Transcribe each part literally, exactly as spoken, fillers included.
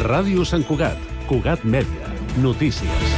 Ràdio Sant Cugat, Cugat Mèdia, notícies.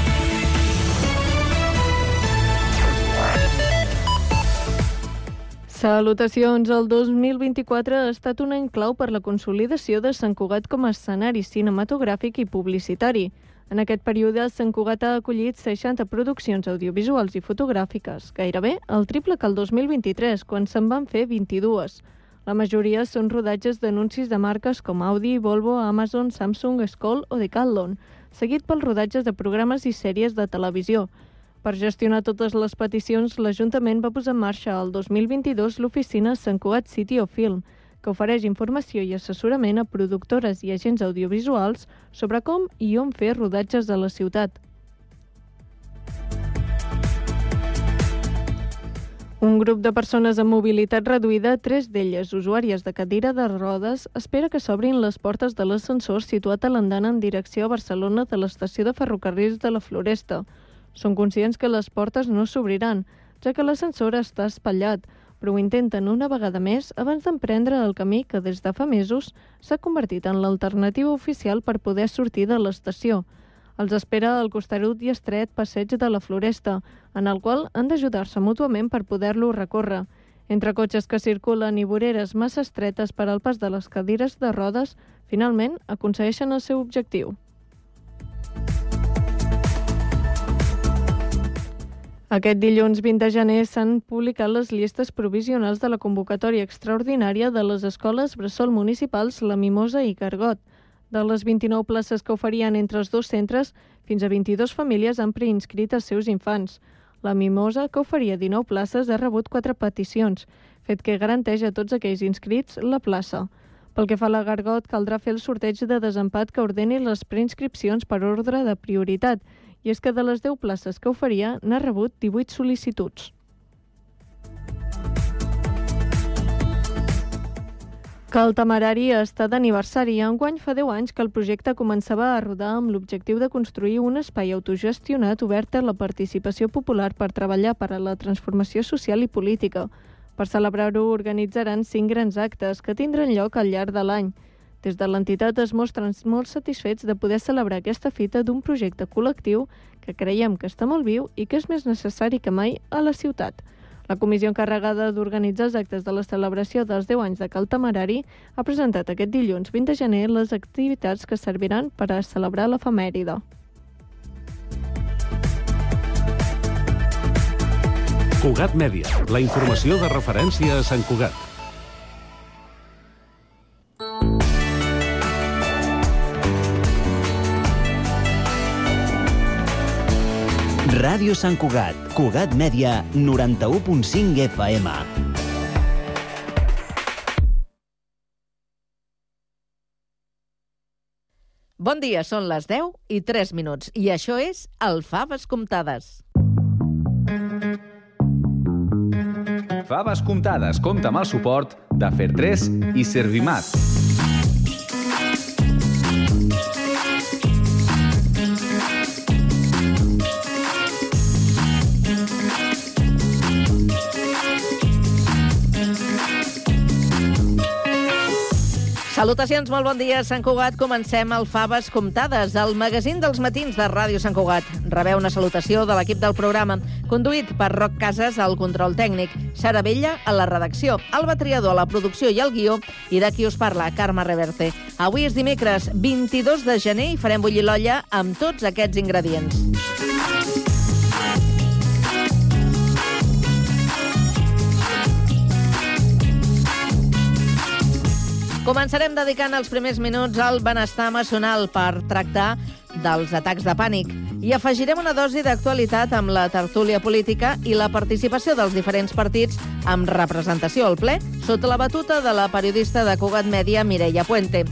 Salutacions. El dos mil vint-i-quatre ha estat un any clau per la consolidació de Sant Cugat com a escenari cinematogràfic i publicitari. En aquest període, Sant Cugat ha acollit seixanta produccions audiovisuals i fotogràfiques, gairebé el triple que el dos mil vint-i-tres, quan se'n van fer vint-i-dues. La majoria són rodatges d'anuncis de marques com Audi, Volvo, Amazon, Samsung, Skoll o Decathlon, seguit pels rodatges de programes i sèries de televisió. Per gestionar totes les peticions, l'Ajuntament va posar en marxa el dos mil vint-i-dos l'oficina Sant Cugat City of Film, que ofereix informació i assessorament a productores i agents audiovisuals sobre com i on fer rodatges a la ciutat. Un grup de persones amb mobilitat reduïda, tres d'elles usuàries de cadira de rodes, espera que s'obrin les portes de l'ascensor situat a l'andana en direcció a Barcelona de l'estació de ferrocarrils de la Floresta. Són conscients que les portes no s'obriran, ja que l'ascensor està espatllat, però ho intenten una vegada més abans d'emprendre el camí que des de fa mesos s'ha convertit en l'alternativa oficial per poder sortir de l'estació. Els espera el costerut i estret passeig de la Floresta, en el qual han d'ajudar-se mútuament per poder-lo recórrer. Entre cotxes que circulen i voreres massa estretes per al pas de les cadires de rodes, finalment aconsegueixen el seu objectiu. Aquest dilluns vint de gener s'han publicat les llistes provisionals de la convocatòria extraordinària de les escoles bressol municipals La Mimosa i Gargot. De les vint-i-nou places que oferien entre els dos centres, fins a vint-i-dues famílies han preinscrit els seus infants. La Mimosa, que oferia dinou places, ha rebut quatre peticions, fet que garanteix a tots aquells inscrits la plaça. Pel que fa a la Gargot, caldrà fer el sorteig de desempat que ordeni les preinscripcions per ordre de prioritat, i és que de les deu places que oferia n'ha rebut divuit sol·licituds. Que el Temerari està d'aniversari. Enguany fa deu anys que el projecte començava a rodar amb l'objectiu de construir un espai autogestionat obert a la participació popular per treballar per a la transformació social i política. Per celebrar-ho organitzaran cinc grans actes que tindran lloc al llarg de l'any. Des de l'entitat es mostren molt satisfets de poder celebrar aquesta fita d'un projecte col·lectiu que creiem que està molt viu i que és més necessari que mai a la ciutat. La comissió encarregada d'organitzar els actes de la celebració dels deu anys de Cal Temerari ha presentat aquest dilluns vint de gener les activitats que serviran per a celebrar l'efemèride. Cugat Mèdia, la informació de referència a Sant Cugat. Ràdio Sant Cugat, Cugat Mèdia, noranta-u punt cinc F M. Bon dia, són les deu i tres minuts, i això és el Faves Comptades. Faves Comptades compta amb el suport de Fertres i Servimat. Salutacions, molt bon dia, Sant Cugat. Comencem el Faves Comptades, el magazín dels matins de Ràdio Sant Cugat. Rebeu una salutació de l'equip del programa, conduït per Roc Casas al control tècnic, Sara Vella a la redacció, Alba Triador a la producció i al guió, i de qui us parla, Carme Reverte. Avui és dimecres, vint-i-dos de gener, i farem bullir l'olla amb tots aquests ingredients. Començarem dedicant els primers minuts al benestar emocional per tractar dels atacs de pànic i afegirem una dosi d'actualitat amb la tertúlia política i la participació dels diferents partits amb representació al ple sota la batuta de la periodista de Cugat Mèdia, Mireia Puente.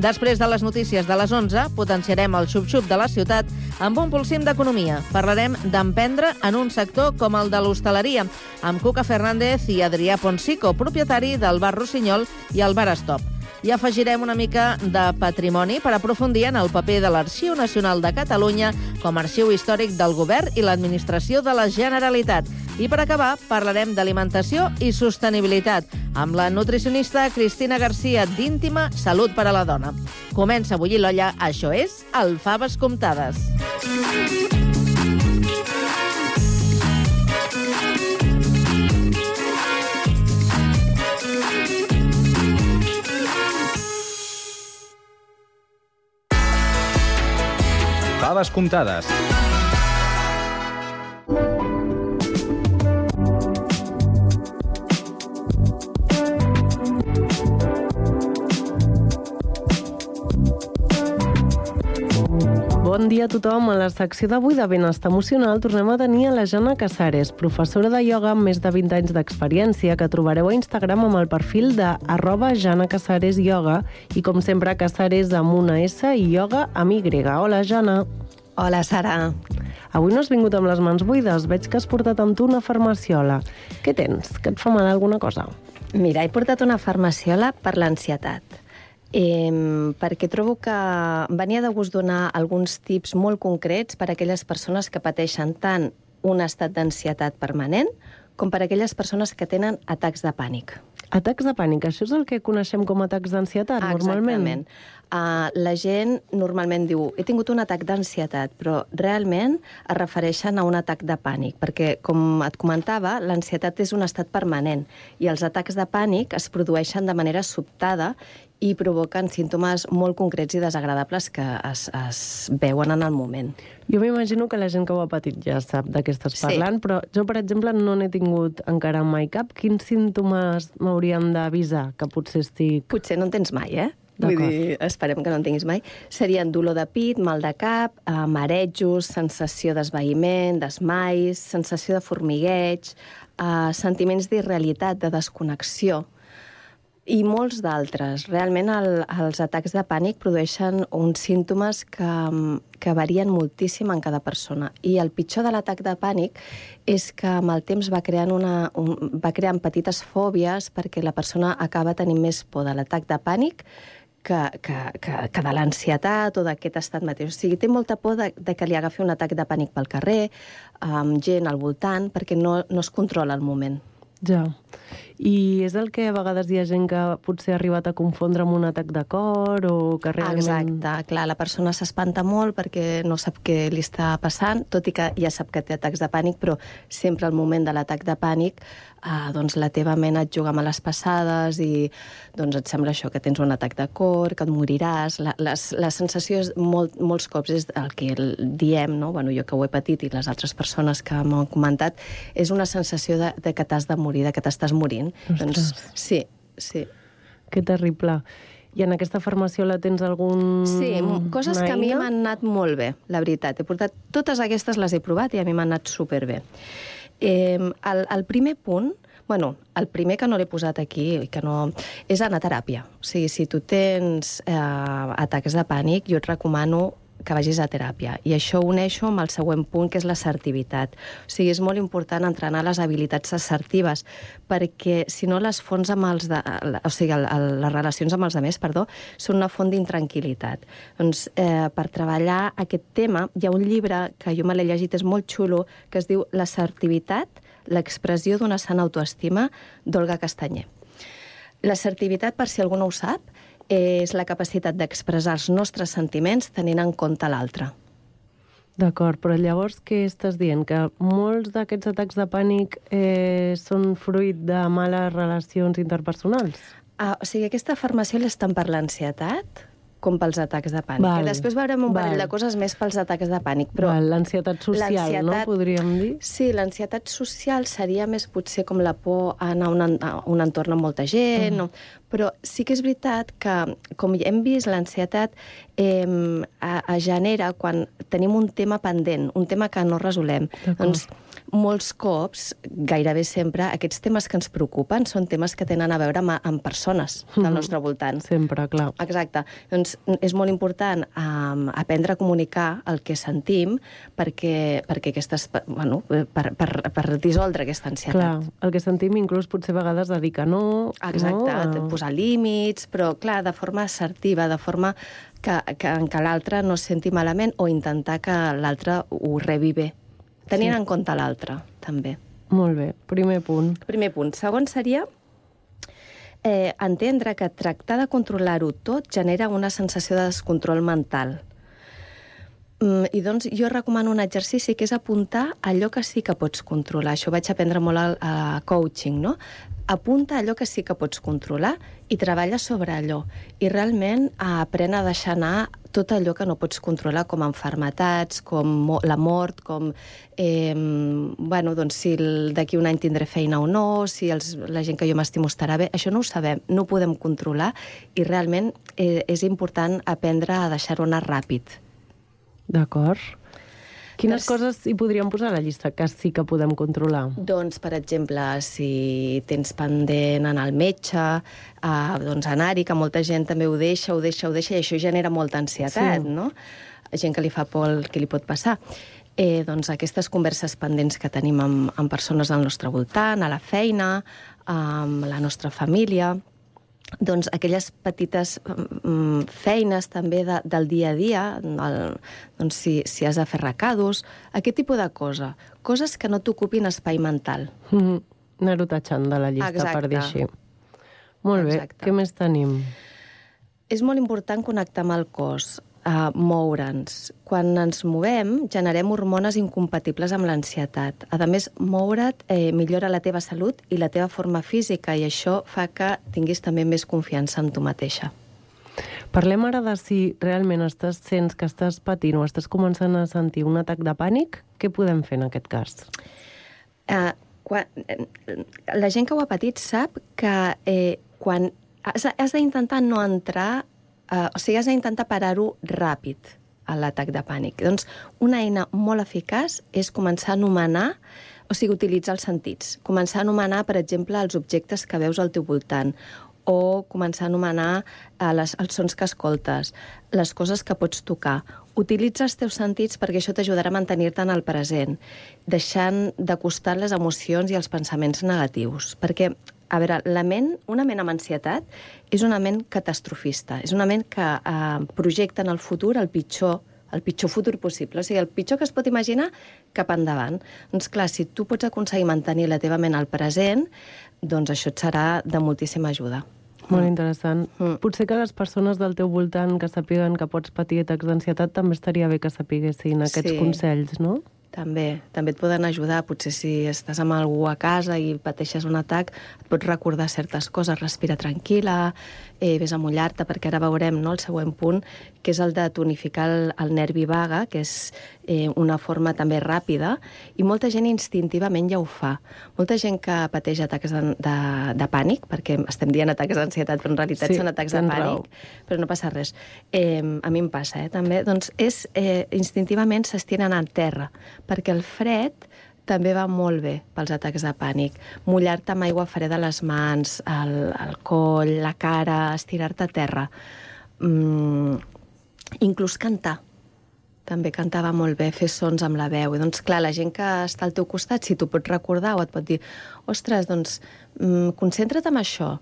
Després de les notícies de les onze, potenciarem el xup-xup de la ciutat amb un pulsim d'economia. Parlarem d'emprendre en un sector com el de l'hostaleria, amb Cuca Fernández i Adrià Ponsico, propietari del bar Rossinyol i el bar Stop. I afegirem una mica de patrimoni per aprofundir en el paper de l'Arxiu Nacional de Catalunya com a arxiu històric del govern i l'administració de la Generalitat. I per acabar, parlarem d'alimentació i sostenibilitat amb la nutricionista Cristina Garcia d'Íntima Salut per a la Dona. Comença a bullir l'olla, això és el Faves Comptades. Faves Comptades. Bon dia a tothom. A la secció d'avui de Benestar Emocional tornem a tenir a la Jana Casares, professora de ioga amb més de vint anys d'experiència, que trobareu a Instagram amb el perfil de arroba Jana Casares Ioga i, com sempre, Casares amb una S i ioga amb Y. Hola, Jana. Hola, Sara. Avui no has vingut amb les mans buides. Veig que has portat amb tu una farmaciola. Què tens? Que et fa mal alguna cosa? Mira, he portat una farmaciola per l'ansietat. Eh, perquè trobo que venia de gust donar alguns tips molt concrets per a aquelles persones que pateixen tant un estat d'ansietat permanent com per a aquelles persones que tenen atacs de pànic. Atacs de pànic, això és el que coneixem com atacs d'ansietat, normalment? Exactament. Uh, la gent normalment diu he tingut un atac d'ansietat, però realment es refereixen a un atac de pànic, perquè, com et comentava, l'ansietat és un estat permanent i els atacs de pànic es produeixen de manera sobtada i provoquen símptomes molt concrets i desagradables que es, es veuen en el moment. Jo m'imagino que la gent que ho ha patit ja sap de què estàs parlant, sí. Però jo, per exemple, no n'he tingut encara mai cap. Quins símptomes m'haurien d'avisar que potser estic... Potser no en tens mai, eh? Vull dir, esperem que no en tinguis mai. Serien dolor de pit, mal de cap, eh, marejos, sensació d'esvaïment, desmais, sensació de formigueig, eh, sentiments d'irrealitat, de desconnexió, i molts d'altres. Realment el, els atacs de pànic produeixen uns símptomes que, que varien moltíssim en cada persona. I el pitjor de l'atac de pànic és que amb el temps va creant, una, un, va creant petites fòbies perquè la persona acaba tenint més por de l'atac de pànic que, que, que, que de l'ansietat o d'aquest estat mateix. O sigui, té molta por de, de que li agafi un atac de pànic pel carrer, amb gent al voltant, perquè no, no es controla el moment. Ja. I és el que a vegades hi ha gent que potser ha arribat a confondre amb un atac de cor o que realment... Exacte, clar, la persona s'espanta molt perquè no sap què li està passant, tot i que ja sap que té atacs de pànic, però sempre al moment de l'atac de pànic eh, doncs la teva ment et juga males passades i doncs et sembla això, que tens un atac de cor, que et moriràs. La, les, la sensació és molt, molts cops és el que diem, no? Bueno, jo que ho he patit i les altres persones que m'ho han comentat, és una sensació de, de que t'has de morir, de que t'estàs morint. Ostres. Doncs sí, sí. Que terrible. I en aquesta farmaciola tens algun... Sí, coses que a mi m'han anat molt bé, la veritat. He portat totes aquestes, les he provat i a mi m'han anat superbé. Eh, el, el primer punt, bueno, el primer que no l'he posat aquí, que no, és anar a teràpia. O sigui, si tu tens eh, atacs de pànic, jo et recomano que vagis a teràpia. I això ho uneixo amb el següent punt, que és l'assertivitat. O sigui, és molt important entrenar les habilitats assertives, perquè si no les fonts amb els de, o sigui, el, el, les relacions amb els altres, perdó, són una font d'intranquil·litat. Doncs, eh, per treballar aquest tema, hi ha un llibre que jo me l'he llegit, és molt xulo, que es diu L'assertivitat, l'expressió d'una sana autoestima, d'Olga Castanyer. L'assertivitat, per si algú no ho sap, és la capacitat d'expressar els nostres sentiments tenint en compte l'altre. D'acord, però llavors què estàs dient? Que molts d'aquests atacs de pànic eh, són fruit de males relacions interpersonals? Ah, o sigui, aquesta farmaciola és tant per l'ansietat com pels atacs de pànic. Val, Després veurem un parell val. de coses més pels atacs de pànic. Però l'ansietat social, no? Podríem dir? Sí, l'ansietat social seria més potser com la por a anar a un, a un entorn amb molta gent, uh-huh. no? Però sí que és veritat que, com hem vist, l'ansietat eh, es genera quan tenim un tema pendent, un tema que no resolem. Doncs molts cops, gairebé sempre, aquests temes que ens preocupen són temes que tenen a veure amb, amb persones del nostre voltant. Sempre, clar. Exacte. Doncs és molt important um, aprendre a comunicar el que sentim perquè, perquè aquestes, bueno, per, per, per dissoldre aquesta ansietat. Clar, el que sentim inclús potser a vegades de dir que no. Exacte, no? Posar límits, però clar, de forma assertiva, de forma que, que, que l'altre no es senti malament o intentar que l'altre ho rebi bé. Tenint sí. en compte l'altre, també. Molt bé, primer punt. Primer punt. Segon seria eh, entendre que tractar de controlar-ho tot genera una sensació de descontrol mental. Mm, I doncs jo recomano un exercici que és apuntar allò que sí que pots controlar. Això ho vaig aprendre molt al, a coaching, no? Apunta allò que sí que pots controlar i treballa sobre allò. I realment aprèn a deixar anar tot allò que no pots controlar, com malalties, com la mort, com eh, bueno, doncs si d'aquí un any tindré feina o no, si els, la gent que jo m'estimo estarà bé. Això no ho sabem, no ho podem controlar i realment eh, és important aprendre a deixar-ho anar ràpid. D'acord. Quines coses hi podríem posar a la llista que sí que podem controlar? Doncs, per exemple, si tens pendent anar al metge, eh, doncs anar-hi, que molta gent també ho deixa, ho deixa, ho deixa, i això genera molta ansietat, sí. no? Gent que li fa por el que li pot passar. Eh, doncs aquestes converses pendents que tenim amb, amb persones al nostre voltant, a la feina, amb la nostra família, doncs aquelles petites um, feines també de, del dia a dia, el, doncs si, si has de fer recados, aquest tipus de cosa. Coses que no t'ocupin espai mental. Mm-hmm. Anar-ho tatxant de la llista, Exacte. per dir així. Molt bé, Exacte. què més tenim? És molt important connectar amb el cos, uh, moure'ns. Quan ens movem, generem hormones incompatibles amb l'ansietat. A més, moure't eh, millora la teva salut i la teva forma física, i això fa que tinguis també més confiança en tu mateixa. Parlem ara de si realment estàs, sents que estàs patint o estàs començant a sentir un atac de pànic. Què podem fer en aquest cas? Uh, quan, la gent que ho ha patit sap que eh, quan has, has d'intentar no entrar, uh, o sigui, has d'intentar parar-ho ràpid, a l'atac de pànic. Doncs una eina molt eficaç és començar a anomenar, o sigui, utilitzar els sentits. Començar a anomenar, per exemple, els objectes que veus al teu voltant, o començar a anomenar eh, les, els sons que escoltes, les coses que pots tocar. Utilitza els teus sentits perquè això t'ajudarà a mantenir-te en el present, deixant de costat les emocions i els pensaments negatius. Perquè, a veure, la ment, una ment amb ansietat és una ment catastrofista, és una ment que eh, projecta en el futur el pitjor, el pitjor futur possible, o sigui, el pitjor que es pot imaginar cap endavant. Doncs clar, si tu pots aconseguir mantenir la teva ment al present, doncs això et serà de moltíssima ajuda. Molt interessant. Mm. Potser que les persones del teu voltant que sàpiguen que pots patir atacs d'ansietat també estaria bé que sapiguessin aquests Sí. consells, no? També, també et poden ajudar. Potser si estàs amb algú a casa i pateixes un atac, et pots recordar certes coses, respira tranquil·la, eh, vés a mullar-te, perquè ara veurem, no, el següent punt, que és el de tonificar el, el nervi vague, que és eh, una forma també ràpida, i molta gent instintivament ja ho fa. Molta gent que pateix atacs de, de, de pànic, perquè estem dient atacs d'ansietat, però en realitat Sí, són atacs de tens pànic, raó. però no passa res. Eh, a mi em passa, eh, també. Doncs és, eh, instintivament s'estiren al terra, perquè el fred també va molt bé pels atacs de pànic. Mullar-te amb aigua freda a les mans, el, el coll, la cara, estirar-te a terra. Mm, inclús cantar. També cantava molt bé, fer sons amb la veu. I doncs, clar, la gent que està al teu costat, si t'ho pots recordar o et pot dir ostres, doncs, mm, concentra't en això,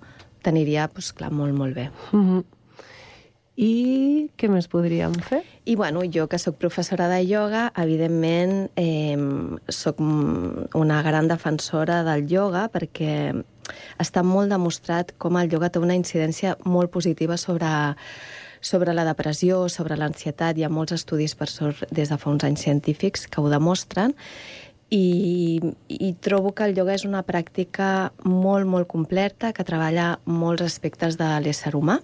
t'aniria, doncs, clar, molt, molt bé. Mm-hmm. I què més podríem fer? I, bueno, jo que sóc professora de ioga, evidentment eh, sóc una gran defensora del ioga perquè està molt demostrat com el ioga té una incidència molt positiva sobre, sobre la depressió, sobre l'ansietat. Hi ha molts estudis, per sort, des de fa uns anys científics que ho demostren. I, i trobo que el ioga és una pràctica molt, molt completa, que treballa molts aspectes de l'ésser humà,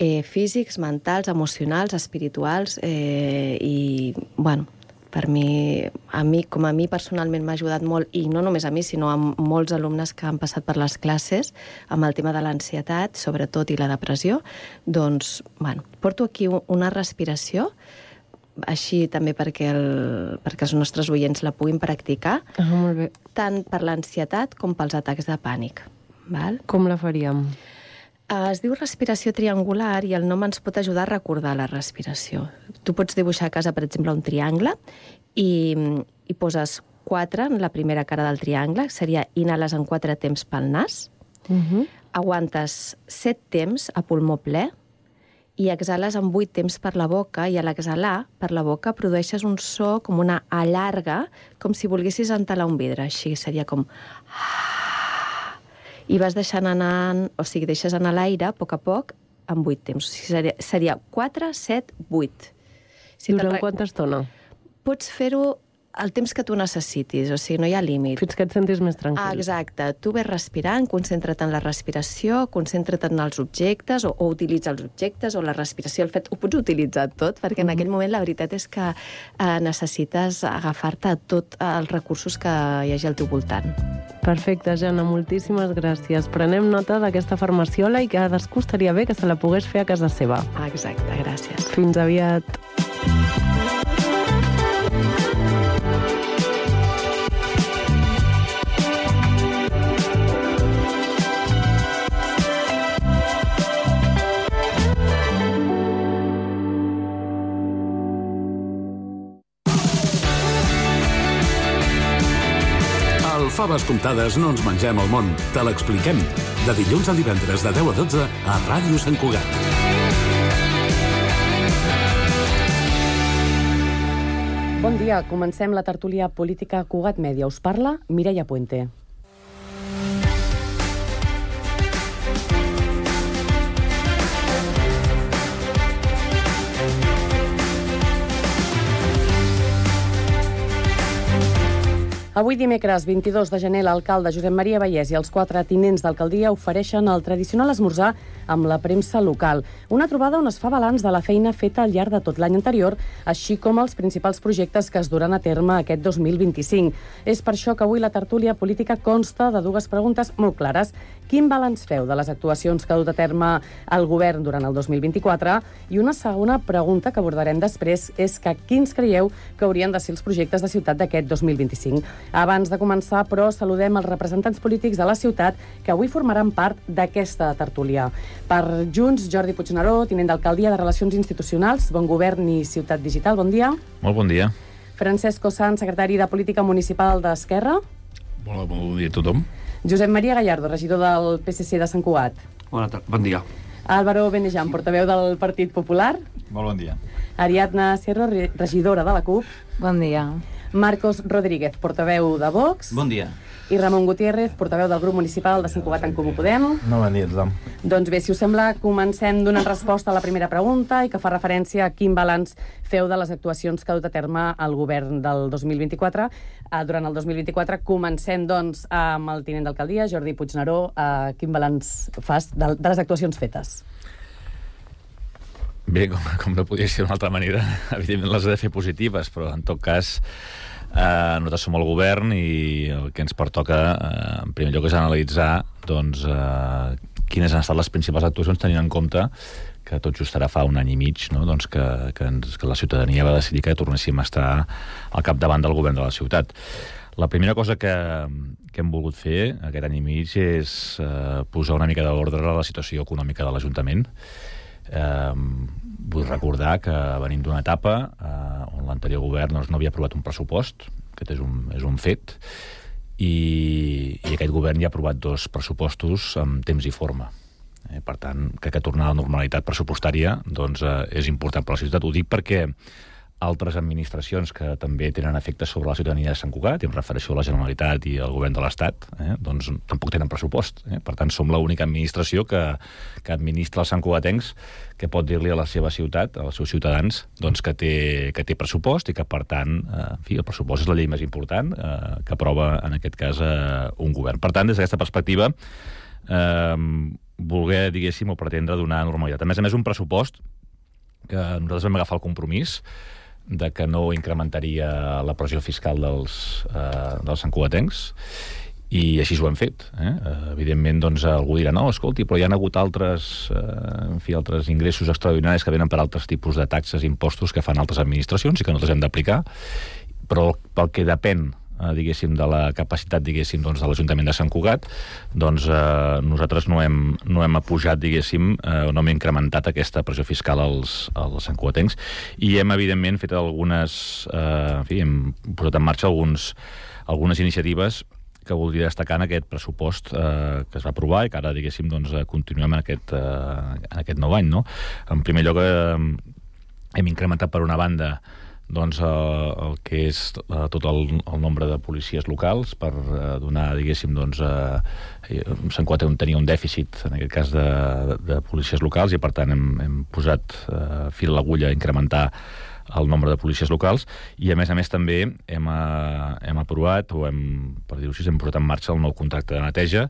Eh, físics, mentals, emocionals, espirituals, eh, i, bueno, per mi, a mi, com a mi personalment m'ha ajudat molt, i no només a mi, sinó a molts alumnes que han passat per les classes amb el tema de l'ansietat, sobretot, i la depressió, doncs, bueno, porto aquí una respiració, així també perquè, el, perquè els nostres oients la puguin practicar, Ah, molt bé. tant per l'ansietat com pels atacs de pànic. Val? Com la faríem? Es diu respiració triangular i el nom ens pot ajudar a recordar la respiració. Tu pots dibuixar a casa, per exemple, un triangle i, i poses quatre en la primera cara del triangle, seria inhales en quatre temps pel nas, Uh-huh. aguantes set temps a pulmó ple i exhales amb vuit temps per la boca, i a l'exhalar per la boca produeixes un so com una A llarga, com si volguessis entalar un vidre. Així seria com... I vas deixant anar, o sigui, deixes anar l'aire a poc a poc amb vuit temps. O sigui, seria, seria quatre, set, vuit. Si Durant quanta estona? Pots fer-ho el temps que tu necessitis, o sigui, no hi ha límit. Fins que et sentis més tranquil. Ah, exacte. Tu ves respirant, concentra't en la respiració, concentra't en els objectes, o, o utilitza els objectes, o la respiració, el fet, ho pots utilitzar tot, perquè en aquell moment la veritat és que eh, necessites agafar-te a tots els recursos que hi hagi al teu voltant. Perfecte, Jana, moltíssimes gràcies. Prenem nota d'aquesta farmaciola i que cadascú estaria bé que se la pogués fer a casa seva. Ah, exacte, gràcies. Fins aviat. Faves comptades no ens mengem el món, te l'expliquem. De dilluns a divendres de deu a dotze a Ràdio Sant Cugat. Bon dia, comencem la tertúlia política Cugat Mèdia. Us parla Mireia Puente. Avui dimecres vint-i-dos de gener l'alcalde Josep Maria Vallès i els quatre tinents d'alcaldia ofereixen el tradicional esmorzar amb la premsa local. Una trobada on es fa balanç de la feina feta al llarg de tot l'any anterior, així com els principals projectes que es duran a terme aquest dos mil vint-i-cinc. És per això que avui la tertúlia política consta de dues preguntes molt clares. Quin balanç feu de les actuacions que ha dut a terme el govern durant el dos mil vint-i-quatre? I una segona pregunta que abordarem després és que quins creieu que haurien de ser els projectes de ciutat d'aquest dos mil vint-i-cinc? Abans de començar, però, saludem els representants polítics de la ciutat que avui formaran part d'aquesta tertúlia. Per Junts, Jordi Puigneró, tinent d'alcaldia de Relacions Institucionals, Bon Govern i Ciutat Digital. Bon dia. Molt bon dia. Francesc Ossant, secretari de Política Municipal d'Esquerra. Bon, bon dia a tothom. Josep Maria Gallardo, regidor del P S C de Sant Cugat. Bona tarda, bon dia. Álvaro Benejan, portaveu del Partit Popular. Molt bon dia. Ariadna Sierra, regidora de la CUP. Bon dia. Marcos Rodríguez, portaveu de Vox. Bon dia. I Ramon Gutiérrez, portaveu del grup municipal de Sant Cugat en Comú Podem. No, bon dia a tothom. Doncs bé, si us sembla, comencem donant resposta a la primera pregunta i que fa referència a quin balanç feu de les actuacions que ha dut a terme el govern del dos mil vint-i-quatre. Uh, durant el dos mil vint-i-quatre comencem, doncs, amb el tinent d'alcaldia, Jordi Puigneró. Uh, quin balanç fas de, de les actuacions fetes? Bé, com, com no podia ser d'una altra manera, evidentment les he de fer positives, però en tot cas eh, nosaltres som el govern i el que ens pertoca, eh, en primer lloc, és analitzar doncs, eh, quines han estat les principals actuacions, tenint en compte que tot just ara fa un any i mig, no? doncs que, que, ens, que la ciutadania va decidir que tornéssim a estar al capdavant del govern de la ciutat. La primera cosa que, que hem volgut fer aquest any i mig és eh, posar una mica d'ordre a la situació econòmica de l'Ajuntament. Eh, vull recordar que venim d'una etapa eh, on l'anterior govern doncs, no havia aprovat un pressupost, aquest és un, és un fet, i, i aquest govern ja ha aprovat dos pressupostos amb temps i forma. Eh, per tant, crec que tornar a la normalitat pressupostària doncs, eh, és important per a la ciutat. Ho dic perquè altres administracions que també tenen efectes sobre la ciutadania de Sant Cugat, i em refereixo a la Generalitat i al govern de l'Estat, eh, doncs tampoc tenen pressupost. Eh? Per tant, som l'única administració que, que administra els santcugatencs, que pot dir-li a la seva ciutat, als seus ciutadans, doncs que té, que té pressupost i que, per tant, eh, en fi, el pressupost és la llei més important eh, que aprova, en aquest cas, eh, un govern. Per tant, des d'aquesta perspectiva, eh, voler, diguéssim, o pretendre donar normalitat. A més a més, un pressupost que nosaltres vam agafar el compromís de que no incrementaria la pressió fiscal dels, eh, dels santcugatencs, i així ho hem fet. Eh? Evidentment, doncs, algú dirà, no, escolti, però hi ha hagut altres, eh, en fi, altres ingressos extraordinaris que venen per altres tipus de taxes i impostos que fan altres administracions i que nosaltres hem d'aplicar, però pel que depèn, eh, diguéssim, de la capacitat, diguéssim, doncs, de l'Ajuntament de Sant Cugat, doncs eh, nosaltres no hem, no hem apujat, diguéssim, eh, no hem incrementat aquesta pressió fiscal als, als santcugatencs, i hem, evidentment, fet algunes, eh, en fi, hem posat en marxa alguns, algunes iniciatives que voldria destacar en aquest pressupost eh, que es va aprovar i que ara, diguéssim, doncs, continuem en aquest, eh, en aquest nou any, no? En primer lloc, eh, hem incrementat per una banda doncs, eh, el que és eh, tot el, el nombre de policies locals per eh, donar, diguéssim, doncs, eh, Sant Cugat tenia un dèficit, en aquest cas, de, de, de policies locals, i per tant hem, hem posat eh, fil a l'agulla a incrementar el nombre de policies locals, i a més a més també hem, eh, hem aprovat, o hem, per dir-ho així, hem posat en marxa el nou contracte de neteja,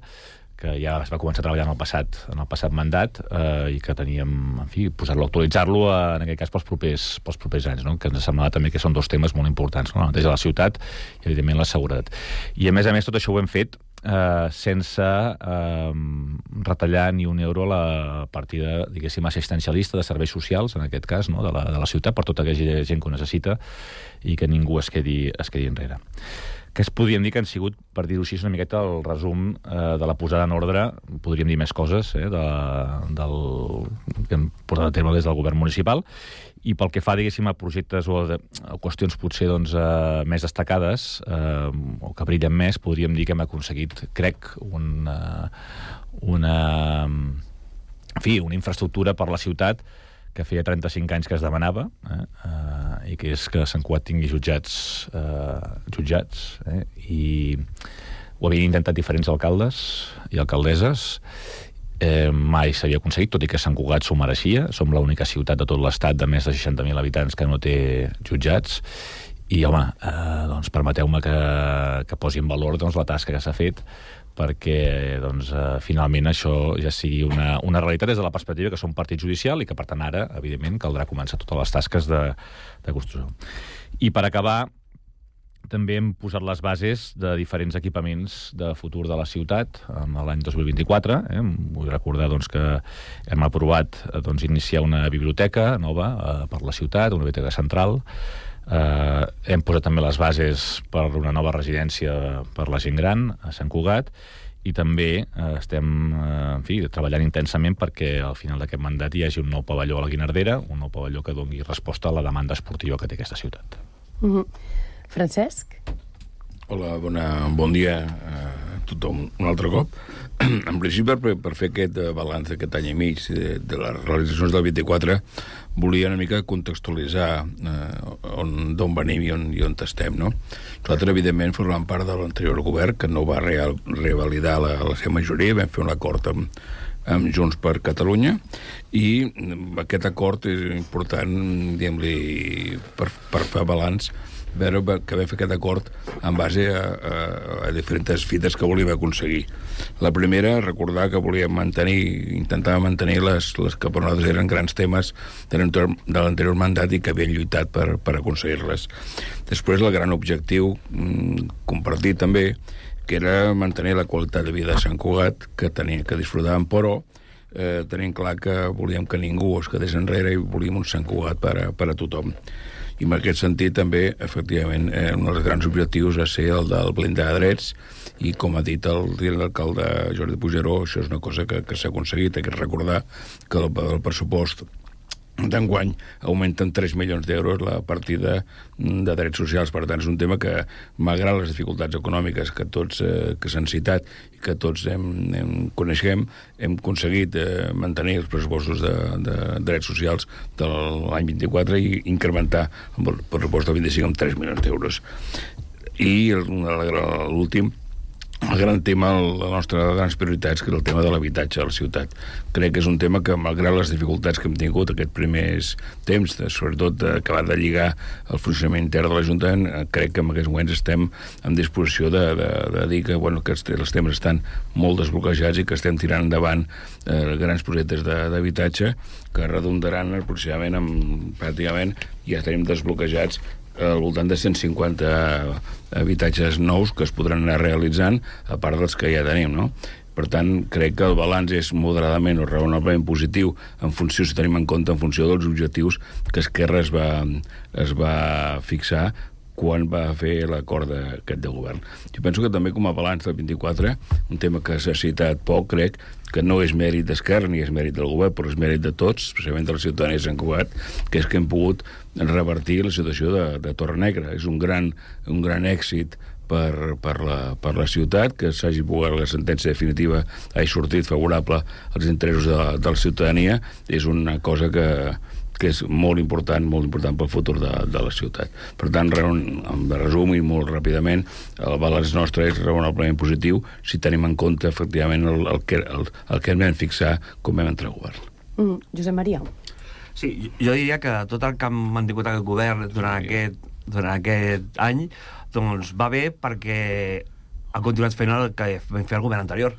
que ja es va començar a treballar en el passat, en el passat mandat, eh, i que teníem, en fi, posar-lo, actualitzar-lo, eh, en aquest cas, pels propers, pels propers anys, no? Que ens semblava també que són dos temes molt importants, no? La neteja de la ciutat i, evidentment, la seguretat. I, a més a més, tot això ho hem fet eh, sense eh, retallar ni un euro la partida, diguéssim, assistencialista de serveis socials, en aquest cas, no? de, la, de la ciutat, per tota aquella gent que ho necessita i que ningú es quedi, es quedi enrere. Que es podríem dir que han sigut, per dir-ho així, una miqueta el resum eh, de la posada en ordre, podríem dir més coses, eh, de, del, que hem portat a terme des del govern municipal, i pel que fa, diguéssim, a projectes o a, a qüestions potser doncs, eh, més destacades, eh, o que brillen més, podríem dir que hem aconseguit, crec, una, una, en fi, una infraestructura per la ciutat que feia trenta-cinc anys que es demanava, eh, eh, i que és que Sant Cugat tingui jutjats, eh, jutjats eh, i ho havien intentat diferents alcaldes i alcaldesses, eh, mai s'havia aconseguit, tot i que Sant Cugat s'ho mereixia. Som l'única ciutat de tot l'estat de més de seixanta mil habitants que no té jutjats, i home, eh, doncs permeteu-me que, que posi en valor doncs, la tasca que s'ha fet perquè doncs, eh, finalment això ja sigui una, una realitat des de la perspectiva que som partit judicial i que, per tant, ara, evidentment, caldrà començar totes les tasques de, de construcció. I per acabar, també hem posat les bases de diferents equipaments de futur de la ciutat en l'any dos mil vint-i-quatre. Eh? Vull recordar doncs, que hem aprovat doncs, iniciar una biblioteca nova eh, per la ciutat, una biblioteca central. Uh, hem posat també les bases per una nova residència per la gent gran a Sant Cugat, i també uh, estem uh, en fi, treballant intensament perquè al final d'aquest mandat hi hagi un nou pavelló a la Guinardera, un nou pavelló que doni resposta a la demanda esportiva que té aquesta ciutat. Mm-hmm. Francesc? Hola, bona, bon dia a tothom un altre cop. En principi, per, per fer aquest balanç d'aquest any i mig de, de les realitzacions del vint-i-quatre, volia una mica contextualitzar eh, d'on venim i on, i on estem, no? Nosaltres, evidentment, formem part de l'anterior govern, que no va real, revalidar la, la seva majoria, vam fer un acord amb, amb Junts per Catalunya, i aquest acord és important, diguem-li, per, per fer balanç, veure que vam fer aquest acord en base a, a, a diferents fites que volíem aconseguir. La primera, recordar que volíem mantenir, intentar mantenir les, les que per nosaltres eren grans temes de l'anterior mandat i que havien lluitat per, per aconseguir-les. Després, el gran objectiu mm, compartit també, que era mantenir la qualitat de vida de Sant Cugat, que, tenia, que disfrutàvem, però eh, tenim clar que volíem que ningú es quedés enrere i volíem un Sant Cugat per a, per a tothom. I en aquest sentit també, efectivament, eh, un dels grans objectius va ser el del blindar de drets, i com ha dit el l'alcalde Jordi Puigneró, això és una cosa que, que s'ha aconseguit. Hay que recordar que el, el pressupost d'enguany augmenta en tres milions d'euros la partida de drets socials. Per tant, és un tema que, malgrat les dificultats econòmiques que tots eh, que s'han citat i que tots hem, hem coneixem, hem aconseguit eh, mantenir els pressupostos de, de drets socials de l'any vint-i-quatre i incrementar el pressupost del vint-i-cinc amb tres milions d'euros. I l'últim, el gran tema, la nostra grans prioritats, que és el tema de l'habitatge a la ciutat. Crec que és un tema que, malgrat les dificultats que hem tingut aquests primers temps, de, sobretot acabar de lligar el funcionament intern de l'Ajuntament, crec que en aquests moments estem en disposició de, de, de dir que, bueno, que els temes estan molt desbloquejats i que estem tirant endavant eh, grans projectes d'habitatge que redundaran aproximadament amb, pràcticament, ja tenim desbloquejats al voltant de cent cinquanta habitatges nous que es podran anar realitzant, a part dels que ja tenim, no? Per tant, crec que el balanç és moderadament o raonablement positiu en funció, si tenim en compte, en funció dels objectius que Esquerra es va, es va fixar quan va fer l'acord aquest de govern. Jo penso que també com a balanç del vint-i-quatre, un tema que s'ha citat poc, crec, que no és mèrit d'Esquerra ni és mèrit del govern, però és mèrit de tots, especialment de la ciutadania de Sant Cugat, que és que hem pogut revertir la situació de, de Torre Negra. És un gran, un gran èxit per, per, la, per la ciutat, que s'hagi pogut la sentència definitiva hagi sortit favorable als interessos de, de la ciutadania, és una cosa que, que és molt important, molt important pel futur de, de la ciutat. Per tant, en resum i molt ràpidament, el balanç nostre és raonablement positiu si tenim en compte, efectivament, el, el, que, el, el que hem de fixar com vam entrar a govern. Mm, Josep Maria. Sí, jo diria que tot el que han mantingut aquest govern durant aquest, durant aquest any doncs va bé perquè han continuat fent el que vam fer el govern anterior.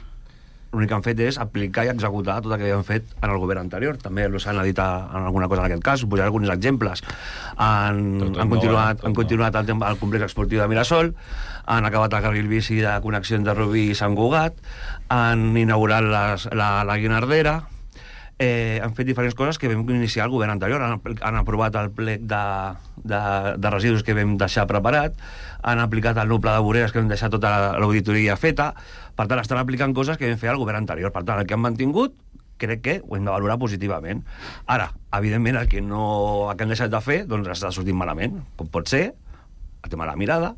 L'únic que han fet és aplicar i executar tot el que havien fet en el govern anterior. També s'han dit en alguna cosa en aquest cas, posaré alguns exemples. Han, han continuat, han continuat el, tema, el complex esportiu de Mirasol, han acabat el carril bici de connexió entre Rubí i Sant Cugat, han inaugurat les, la, la Guinardera, Eh, han fet diferents coses que vam iniciar el govern anterior. Han, han aprovat el plec de, de, de residus que vam deixar preparat, han aplicat el nou pla de voreres que vam deixar tota l'auditoria feta. Per tant, estan aplicant coses que vam fer al govern anterior. Per tant, el que han mantingut crec que ho hem de valorar positivament. Ara, evidentment, el que, no, el que han deixat de fer doncs està sortint malament, com pot ser el tema de la mirada,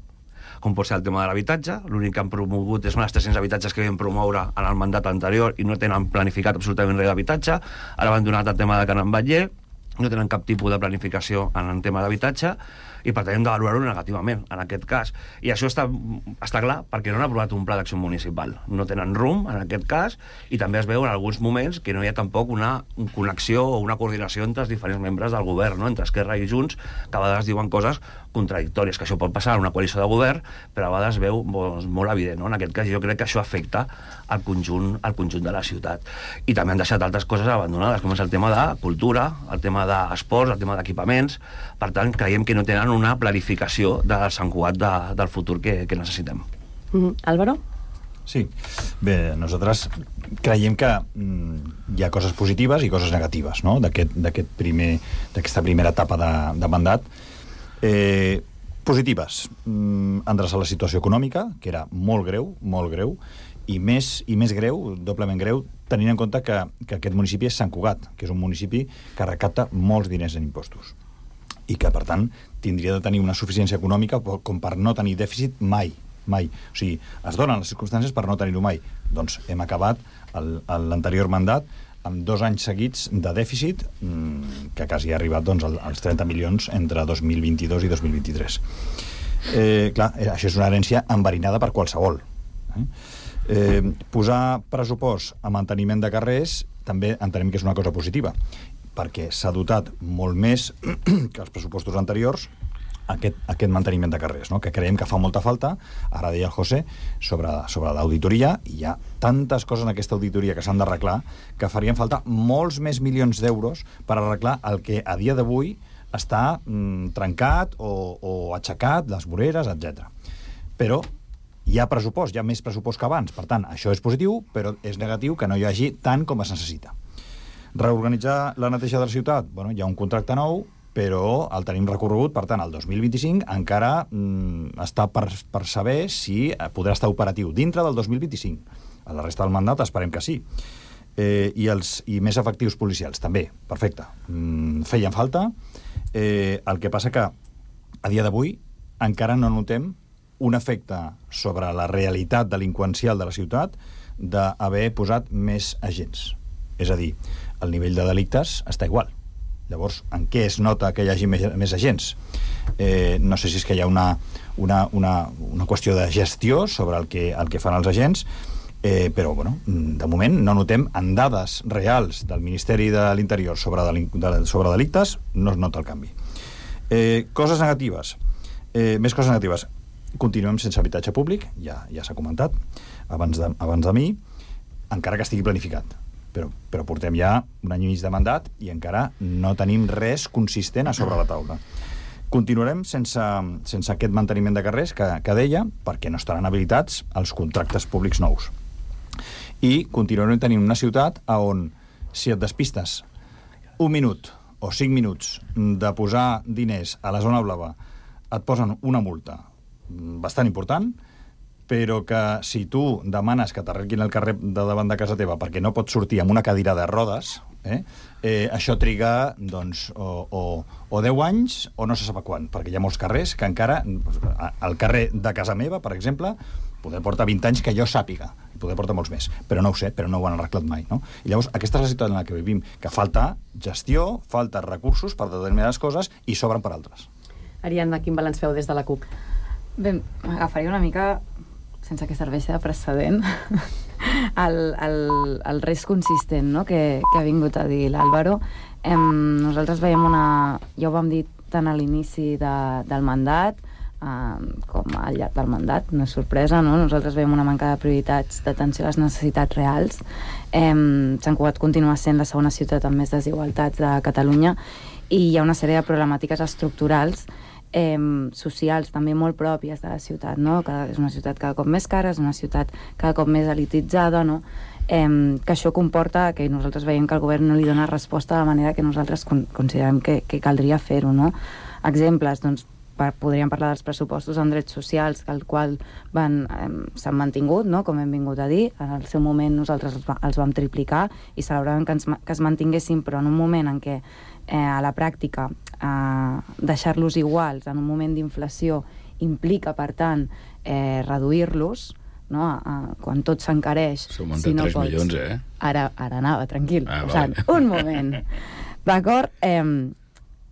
com pot ser el tema de l'habitatge. L'únic que han promogut són els tres-cents habitatges que vam promoure en el mandat anterior i no tenen planificat absolutament res d'habitatge. Ara han donat el tema de Can Batlle, no tenen cap tipus de planificació en el tema d'habitatge i per tant hem de valorar-ho negativament en aquest cas. I això està, està clar perquè no han aprovat un pla d'acció municipal. No tenen rumb en aquest cas i també es veu en alguns moments que no hi ha tampoc una connexió o una coordinació entre els diferents membres del govern, no? Entre Esquerra i Junts, que a vegades diuen coses contradictòries, que això pot passar en una coalició de govern, però a vegades es veu doncs, molt evident, no? En aquest cas jo crec que això afecta al conjunt, al conjunt de la ciutat. I també han deixat altres coses abandonades, com és el tema de cultura, el tema d'esports, el tema d'equipaments. Per tant, creiem que no tenen una planificació del Sant Cugat de, del futur que, que necessitem. Mm, Álvaro? Sí. Bé, nosaltres creiem que mm, hi ha coses positives i coses negatives, no?, d'aquest, d'aquest primer, d'aquesta primera etapa de, de mandat. Eh, positives. Mm, endreçar la situació econòmica, que era molt greu, molt greu, i més, i més greu, doblement greu, tenint en compte que, que aquest municipi és Sant Cugat, que és un municipi que recapta molts diners en impostos i que, per tant, tindria de tenir una suficiència econòmica com per no tenir dèficit mai, mai. O sigui, es donen les circumstàncies per no tenir-ho mai. Doncs hem acabat l'anterior mandat amb dos anys seguits de dèficit mmm, que quasi ha arribat doncs, als trenta milions entre dos mil vint-i-dos i dos mil vint-i-tres. Eh, clar, això és una herència enverinada per qualsevol. Eh? Eh, posar pressupost a manteniment de carrers també entenem que és una cosa positiva, perquè s'ha dotat molt més que els pressupostos anteriors aquest, aquest manteniment de carrers, no? Que creiem que fa molta falta. Ara deia el José sobre, sobre l'auditoria, i hi ha tantes coses en aquesta auditoria que s'han d'arreglar que farien falta molts més milions d'euros per arreglar el que a dia d'avui està mm, trencat o, o aixecat, les voreres, etcètera. Però hi ha pressupost, hi ha més pressupost que abans. Per tant, això és positiu, però és negatiu que no hi hagi tant com es necessita. Reorganitzar la neteja de la ciutat, bueno, hi ha un contracte nou, però el tenim recorregut, per tant, el dos mil vint-i-cinc encara mm, està per, per saber si podrà estar operatiu dintre del dos mil vint-i-cinc. A la resta del mandat esperem que sí. Eh, i, els, I més efectius policials, també, perfecte. Mm, feien falta. Eh, el que passa que a dia d'avui encara no notem un efecte sobre la realitat delinqüencial de la ciutat d'haver posat més agents. És a dir, el nivell de delictes està igual. Llavors, en què es nota que hi hagi més, més agents? Eh, no sé si és que hi ha una, una, una, una qüestió de gestió sobre el que, el que fan els agents, eh, però, bueno, de moment no notem en dades reals del Ministeri de l'Interior sobre, de, sobre delictes, no es nota el canvi. Eh, coses negatives. Eh, més coses negatives. Continuem sense habitatge públic, ja, ja s'ha comentat abans de, abans de mi, encara que estigui planificat. Però, però portem ja un any i mig de mandat i encara no tenim res consistent a sobre la taula. Continuarem sense, sense aquest manteniment de carrers que, que deia, perquè no estaran habilitats els contractes públics nous. I continuarem tenint una ciutat on, si et despistes un minut o cinc minuts de posar diners a la zona blava, et posen una multa bastant important, però que si tu demanes que t'arreglin el carrer de davant de casa teva perquè no pots sortir amb una cadira de rodes, eh? Eh, això triga doncs, o, o, o deu anys o no se sap quan, perquè hi ha molts carrers que encara, al carrer de casa meva, per exemple, poder portar vint anys que jo sàpiga, i poder portar molts més, però no ho sé, però no ho han arreglat mai, no? I llavors, aquesta és la situació en la que vivim, que falta gestió, falta recursos per determinades coses i sobren per altres. Ariadna, quin balanç feu des de la CUP? Bé, m'agafaria una mica, sense que serveixi de precedent, el, el, el risc consistent, no?, que, que ha vingut a dir l'Àlvaro. Eh, nosaltres veiem una... Ja ho vam dir tant a l'inici de, del mandat, eh, com al llarg del mandat, no és sorpresa, no? Nosaltres veiem una manca de prioritats d'atenció a les necessitats reals. Eh, Sant Cugat continua sent la segona ciutat amb més desigualtats de Catalunya i hi ha una sèrie de problemàtiques estructurals Eh, socials també molt pròpies de la ciutat, no? Cada, és una ciutat cada cop més cara, és una ciutat cada cop més elititzada, no? Eh, que això comporta que nosaltres veiem que el govern no li dona resposta de la manera que nosaltres con considerem que, que caldria fer-ho, no? Exemples, doncs, per, podríem parlar dels pressupostos en drets socials, el qual van, eh, s'han mantingut, no?, com hem vingut a dir. En el seu moment nosaltres els, va, els vam triplicar i celebràvem que, ens, que es mantinguessin, però en un moment en què eh, a la pràctica eh, deixar-los iguals en un moment d'inflació implica, per tant, eh, reduir-los, no? A, quan tot s'encareix... S'augmenta si no tres pots... milions, eh? Ara, ara anava, tranquil. Ah, o sigui, un moment. D'acord? Eh,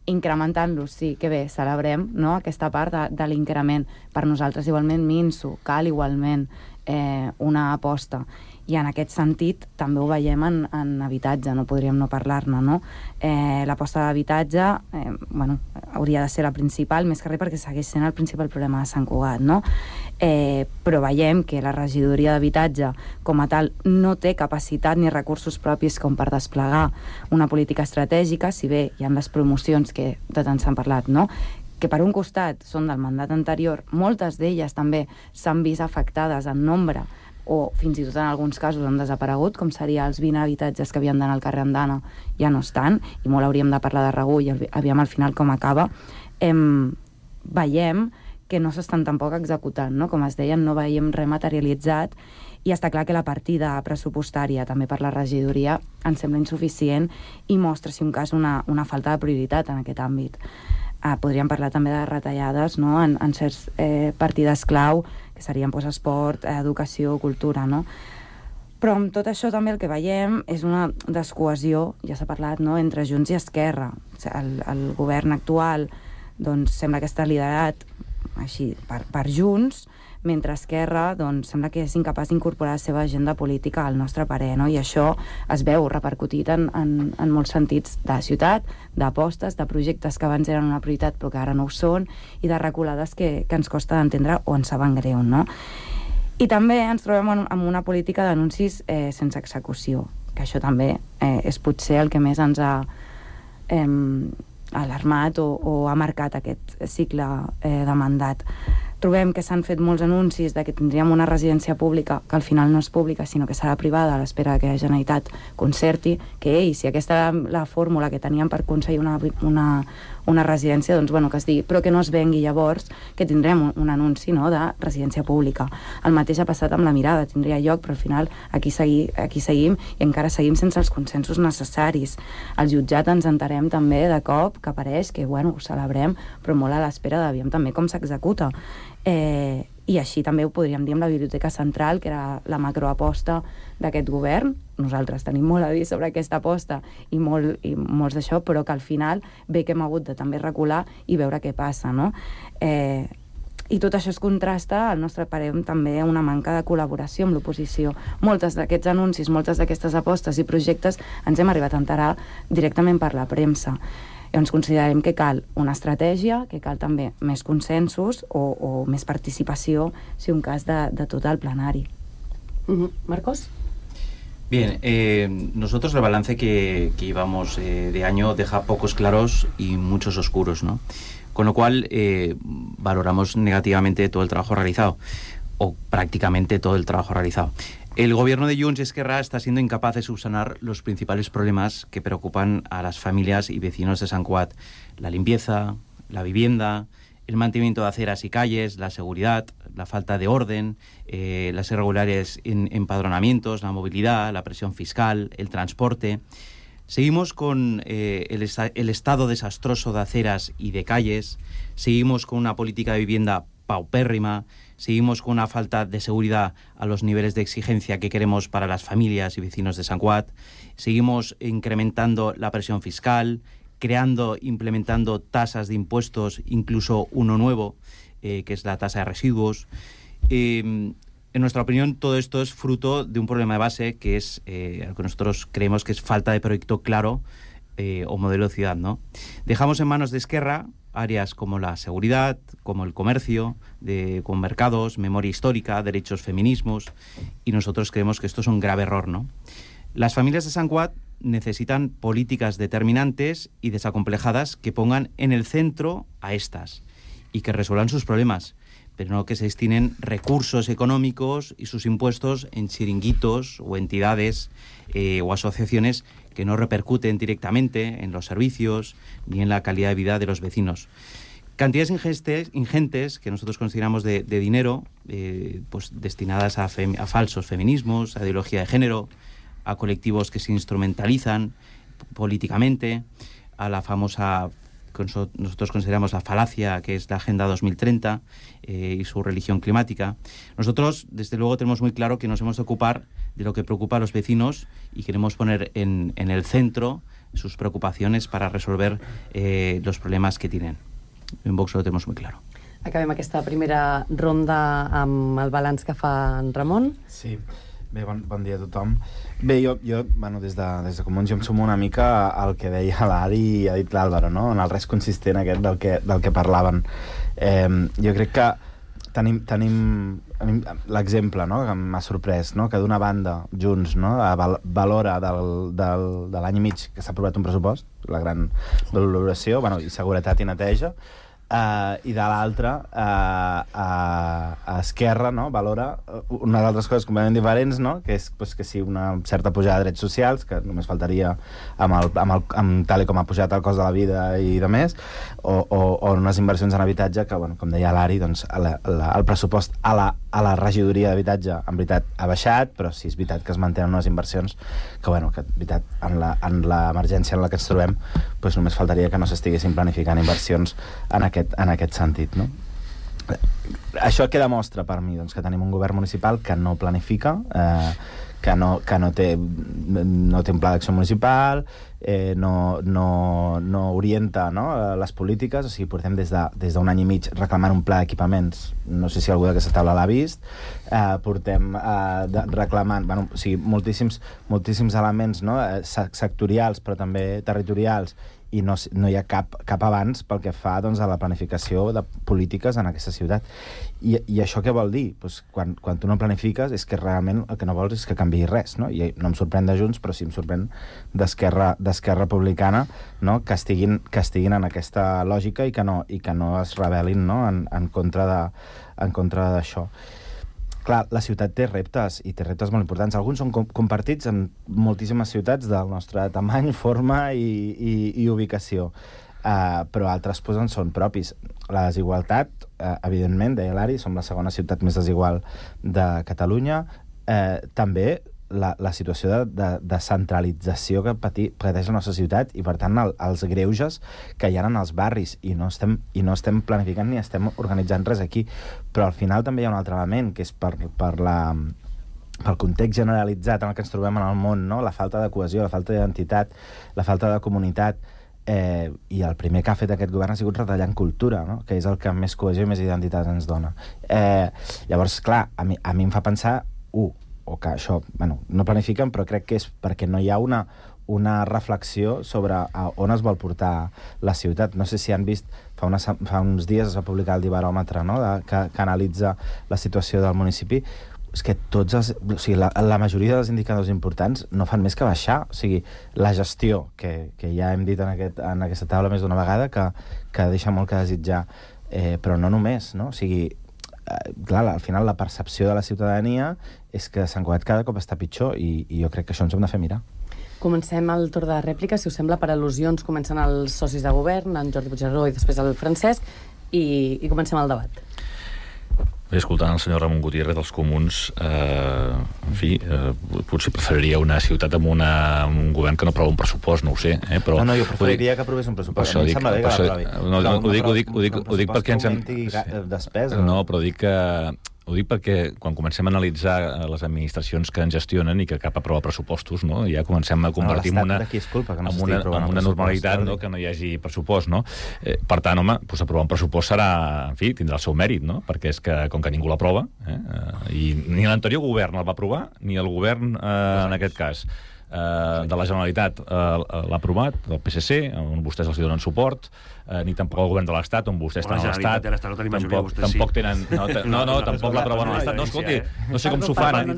incrementant-los, sí, que bé, celebrem, no?, aquesta part de, de l'increment. Per nosaltres, igualment, minso, cal igualment eh, una aposta. I en aquest sentit també ho veiem en, en habitatge, no podríem no parlar-ne, no? Eh, l'aposta d'habitatge, eh, bueno, hauria de ser la principal, més que res perquè segueix sent el principal problema de Sant Cugat, no? Eh, però veiem que la regidoria d'habitatge com a tal no té capacitat ni recursos propis com per desplegar una política estratègica, si bé hi ha les promocions que de tant s'han parlat, no?, que per un costat són del mandat anterior, moltes d'elles també s'han vist afectades en nombre o fins i tot en alguns casos han desaparegut, com seria els vint habitatges que havien d'anar al carrer Andana, ja no estan, i molt hauríem de parlar de Regull i aviam al final com acaba. Em, veiem que no s'estan tampoc executant, no? Com es deien, no veiem res materialitzat, i està clar que la partida pressupostària també per la regidoria ens sembla insuficient i mostra, si un cas, una, una falta de prioritat en aquest àmbit. Uh, podríem parlar també de retallades, no?, en, en certs eh, partides clau, que serien pues, esport, educació, cultura, no? Però amb tot això també el que veiem és una descohesió, ja s'ha parlat, no?, entre Junts i Esquerra. El, el govern actual doncs, sembla que està liderat així per, per Junts, mentre Esquerra doncs, sembla que és incapaç d'incorporar la seva agenda política al nostre parer, no? I això es veu repercutit en, en, en molts sentits de la ciutat, d'apostes, de projectes que abans eren una prioritat però que ara no ho són, i de reculades que, que ens costa d'entendre o ens saben greu, no? I també ens trobem en, en una política d'anuncis eh, sense execució, que això també eh, és potser el que més ens ha eh, alarmat o, o ha marcat aquest cicle eh, de mandat. Trobem que s'han fet molts anuncis de que tindríem una residència pública, que al final no és pública, sinó que serà privada, a l'espera que la Generalitat concerti, que, ei, si aquesta era la fórmula que teníem per aconseguir una, una, una residència, doncs, bueno, que es digui, però que no es vengui llavors, que tindrem un, un anunci, no?, de residència pública. El mateix ha passat amb la Mirada, tindria lloc, però al final aquí, segui, aquí seguim i encara seguim sense els consensos necessaris. Al jutjat ens enterem també de cop que apareix, que, bueno, ho celebrem, però molt a l'espera d'aviam també com s'executa. Eh, i així també ho podríem dir amb la Biblioteca Central, que era la macroaposta d'aquest govern. Nosaltres tenim molt a dir sobre aquesta aposta i, molt, i molts d'això, però que al final bé que hem hagut de també recular i veure què passa, no? Eh, i tot això es contrasta, al nostre parer, també una manca de col·laboració amb l'oposició. Moltes d'aquests anuncis, moltes d'aquestes apostes i projectes ens hem arribat a enterar directament per la premsa. Llavors considerem que cal una estratègia, que cal també més consensos o, o més participació, si un cas, de, de tot el plenari. Uh-huh. Marcos? Bien, eh, nosotros el balance que, que llevamos eh, de año deja pocos claros y muchos oscuros, ¿no? Con lo cual eh, valoramos negativamente todo el trabajo realizado, o prácticamente todo el trabajo realizado. El gobierno de Junts y Esquerra está siendo incapaz de subsanar los principales problemas que preocupan a las familias y vecinos de Sant Cugat: la limpieza, la vivienda, el mantenimiento de aceras y calles, la seguridad, la falta de orden, eh, las irregulares en, empadronamientos, la movilidad, la presión fiscal, el transporte. Seguimos con eh, el, esta el estado desastroso de aceras y de calles, seguimos con una política de vivienda paupérrima, seguimos con una falta de seguridad a los niveles de exigencia que queremos para las familias y vecinos de Sant Cugat, seguimos incrementando la presión fiscal, creando, implementando tasas de impuestos, incluso uno nuevo, eh, que es la tasa de residuos. Eh, en nuestra opinión, todo esto es fruto de un problema de base que es, eh, lo que nosotros creemos que es falta de proyecto claro eh, o modelo de ciudad, ¿no? Dejamos en manos de Esquerra áreas como la seguridad, como el comercio, de, con mercados, memoria histórica, derechos, feminismos, y nosotros creemos que esto es un grave error, ¿no? Las familias de Sant Cugat necesitan políticas determinantes y desacomplejadas que pongan en el centro a estas y que resuelvan sus problemas, pero no que se destinen recursos económicos y sus impuestos en chiringuitos o entidades eh, o asociaciones que no repercuten directamente en los servicios ni en la calidad de vida de los vecinos. Cantidades ingentes, ingentes que nosotros consideramos de, de dinero, eh, pues destinadas a, fem, a falsos feminismos, a ideología de género, a colectivos que se instrumentalizan políticamente, a la famosa, que nosotros consideramos la falacia, que es la Agenda dos mil treinta eh, y su religión climática. Nosotros, desde luego, tenemos muy claro que nos hemos de ocupar de lo que preocupa a los vecinos y queremos poner en, en el centro sus preocupaciones para resolver eh, los problemas que tienen. En Vox ho tenemos muy claro. Acabem aquesta primera ronda amb el balanç que fa en Ramon. Sí. Bé, bon, bon dia a tothom. Bé, jo, jo bueno, des de, des de Comuns, jo em sumo una mica al que deia l'Adi i ha dit l'Àlvaro, no? En el res consistent aquest del que, del que parlaven. Eh, jo crec que tenim, tenim l'exemple, no?, que m'ha sorprès, no?, que d'una banda, Junts, no?, val, valora del, del, de l'any i mig que s'ha aprovat un pressupost, la gran valoració, bueno, i seguretat i neteja, Uh, i de l'altra uh, uh, a Esquerra, no?, valora unes altres coses completament diferents, no?, que és pues, que sí, una certa pujada de drets socials, que només faltaria amb, el, amb, el, amb tal com ha pujat el cost de la vida i de més, o, o, o unes inversions en habitatge que, bueno, com deia l'Ari, doncs, la, la, el pressupost a la, a la regidoria d'habitatge en veritat ha baixat, però sí és veritat que es mantenen unes inversions que, bueno, que en veritat en l'emergència en, en la que ens trobem pues, només faltaria que no s'estiguessin planificant inversions en aquest en aquest sentit, no? Això què demostra per mi? Doncs que tenim un govern municipal que no planifica, eh, que, no, que no, té, no té un pla d'acció municipal, eh, no, no, no orienta, no?, les polítiques. O sigui, portem des d'un de, des d'un any i mig reclamant un pla d'equipaments, no sé si algú d'aquesta taula l'ha vist, eh, portem eh, de, reclamant, bueno, o sigui, moltíssims, moltíssims elements, no?, sectorials però també territorials, i no, no hi ha cap, cap avanç pel que fa, doncs, a la planificació de polítiques en aquesta ciutat. I, i això què vol dir? Pues quan, quan tu no planifiques és que realment el que no vols és que canviï res, no? I no em sorprèn de Junts, però sí em sorprèn d'Esquerra d'Esquerra Republicana, no?, que estiguin, que estiguin en aquesta lògica i que no, i que no es rebel·lin, no?, en, en contra de, en contra d'això. Clar, la ciutat té reptes, i té reptes molt importants. Alguns són com compartits en moltíssimes ciutats del nostre tamany, forma i, i, i ubicació, uh, però altres pues, en són propis. La desigualtat, uh, evidentment, deia l'Ari, som la segona ciutat més desigual de Catalunya. Uh, també la, la situació de, de, de centralització que pati, pateix la nostra ciutat i, per tant, el, els greuges que hi ha en els barris, i no, estem, i no estem planificant ni estem organitzant res aquí. Però al final també hi ha un altre element, que és per, per la, pel context generalitzat en el que ens trobem en el món, no?, la falta de cohesió, la falta d'identitat, la falta de comunitat, eh, i el primer que ha fet aquest govern ha sigut retallar en cultura, no?, que és el que més cohesió i més identitat ens dona. Eh, llavors, clar, a mi, a mi em fa pensar, uh, o que això, bueno, no planifiquen, però crec que és perquè no hi ha una, una reflexió sobre a on es vol portar la ciutat. No sé si han vist, fa, una, fa uns dies es va publicar el Dibaròmetre, no?, de, que, que analitza la situació del municipi. És que tots els, o sigui, la, la majoria dels indicadors importants no fan més que baixar. O sigui, la gestió, que, que ja hem dit en, aquest, en aquesta taula més d'una vegada, que, que deixa molt que desitjar, eh, però no només, no? O sigui, clar, al final la percepció de la ciutadania és que Sant Cugat cada cop està pitjor, i, i jo crec que això ens hem de fer mirar. Comencem el torn de rèplica, si us sembla, per al·lusions. Comencen els socis de govern, en Jordi Puigneró i després el Francesc, i, i comencem el debat. Bé, escoltant el senyor Ramon Gutiérrez dels Comuns, eh, en fi, eh, potser preferiria una ciutat amb, una, amb un govern que no aprova un pressupost, no ho sé. Eh, però, no, no, jo preferiria dic, que aprovés un pressupost. A mi em sembla bé que l'aprovi. No, no, ho dic, ho dic, ho dic, ho dic perquè ens... Hem... Despesa. No, però dic que... Ho dic perquè quan comencem a analitzar les administracions que ens gestionen i que cap aprova pressupostos, no? Ja comencem a convertir en una, no en una, en una normalitat, no? Que no hi hagi pressupost, no? Eh, per tant, home, doncs aprovar un pressupost serà, en fi, tindrà el seu mèrit, no? Perquè és que, com que ningú l'aprova, eh? i ni l'anterior govern el va aprovar, ni el govern, eh, en aquest cas, eh, de la Generalitat eh, l'ha aprovat, del P S C, on vostès els donen suport, eh, ni tampoc el govern de l'Estat, on vostès estan a l'Estat. Tampoc, tampoc tenen... No, no, no, tampoc l'aproven a l'Estat. No, escolti, no sé com s'ho fan.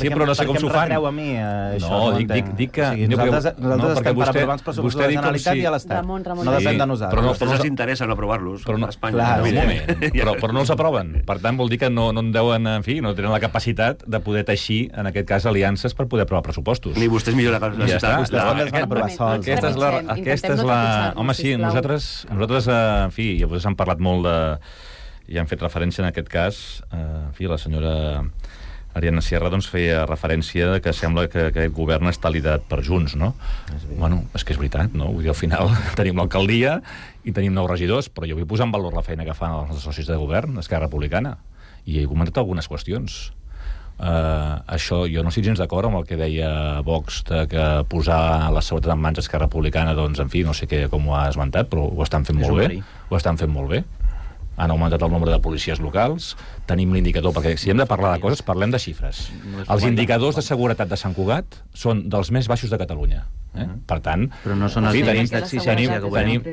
Sí, però no sé com s'ho fan. A mi, això, no, dic, dic, dic que... Nosaltres estem per aprovar els pressupostos de la Generalitat i a l'Estat. No depèn de nosaltres. Però no els interessa no aprovar-los a Espanya. Un moment, però no els aproven. Per tant, vol dir que no en deuen, en fi, no tenen la capacitat de poder teixir, en aquest cas, aliances per poder aprovar pressupostos. Ni vostès millor la capacitat. Vostès van aprovar sols. Aquesta és la... Home, sí, nosaltres... Nosaltres, en fi, ja vostès han parlat molt de... Ja han fet referència en aquest cas, en fi, la senyora Ariadna Sierra doncs feia referència que sembla que aquest govern està liderat per Junts, no? Bueno, és que és veritat, no? Vull dir, al final tenim l'alcaldia i tenim nou regidors, però jo vull posar en valor la feina que fan els socis de govern, Esquerra Republicana, i he comentat algunes qüestions. Uh, això, jo no estic gens d'acord amb el que deia Vox de que posar la seguretat en mans d'Esquerra Republicana, doncs, en fi, no sé què, com ho ha esmentat, però ho estan fent molt bé. Ho estan fent molt bé. Han augmentat el nombre de policies locals, tenim l'indicador, perquè si hem de parlar de coses, parlem de xifres. Els indicadors de seguretat de Sant Cugat són dels més baixos de Catalunya. Eh? Per tant, però no són els fi, tenim, tenim, tenim,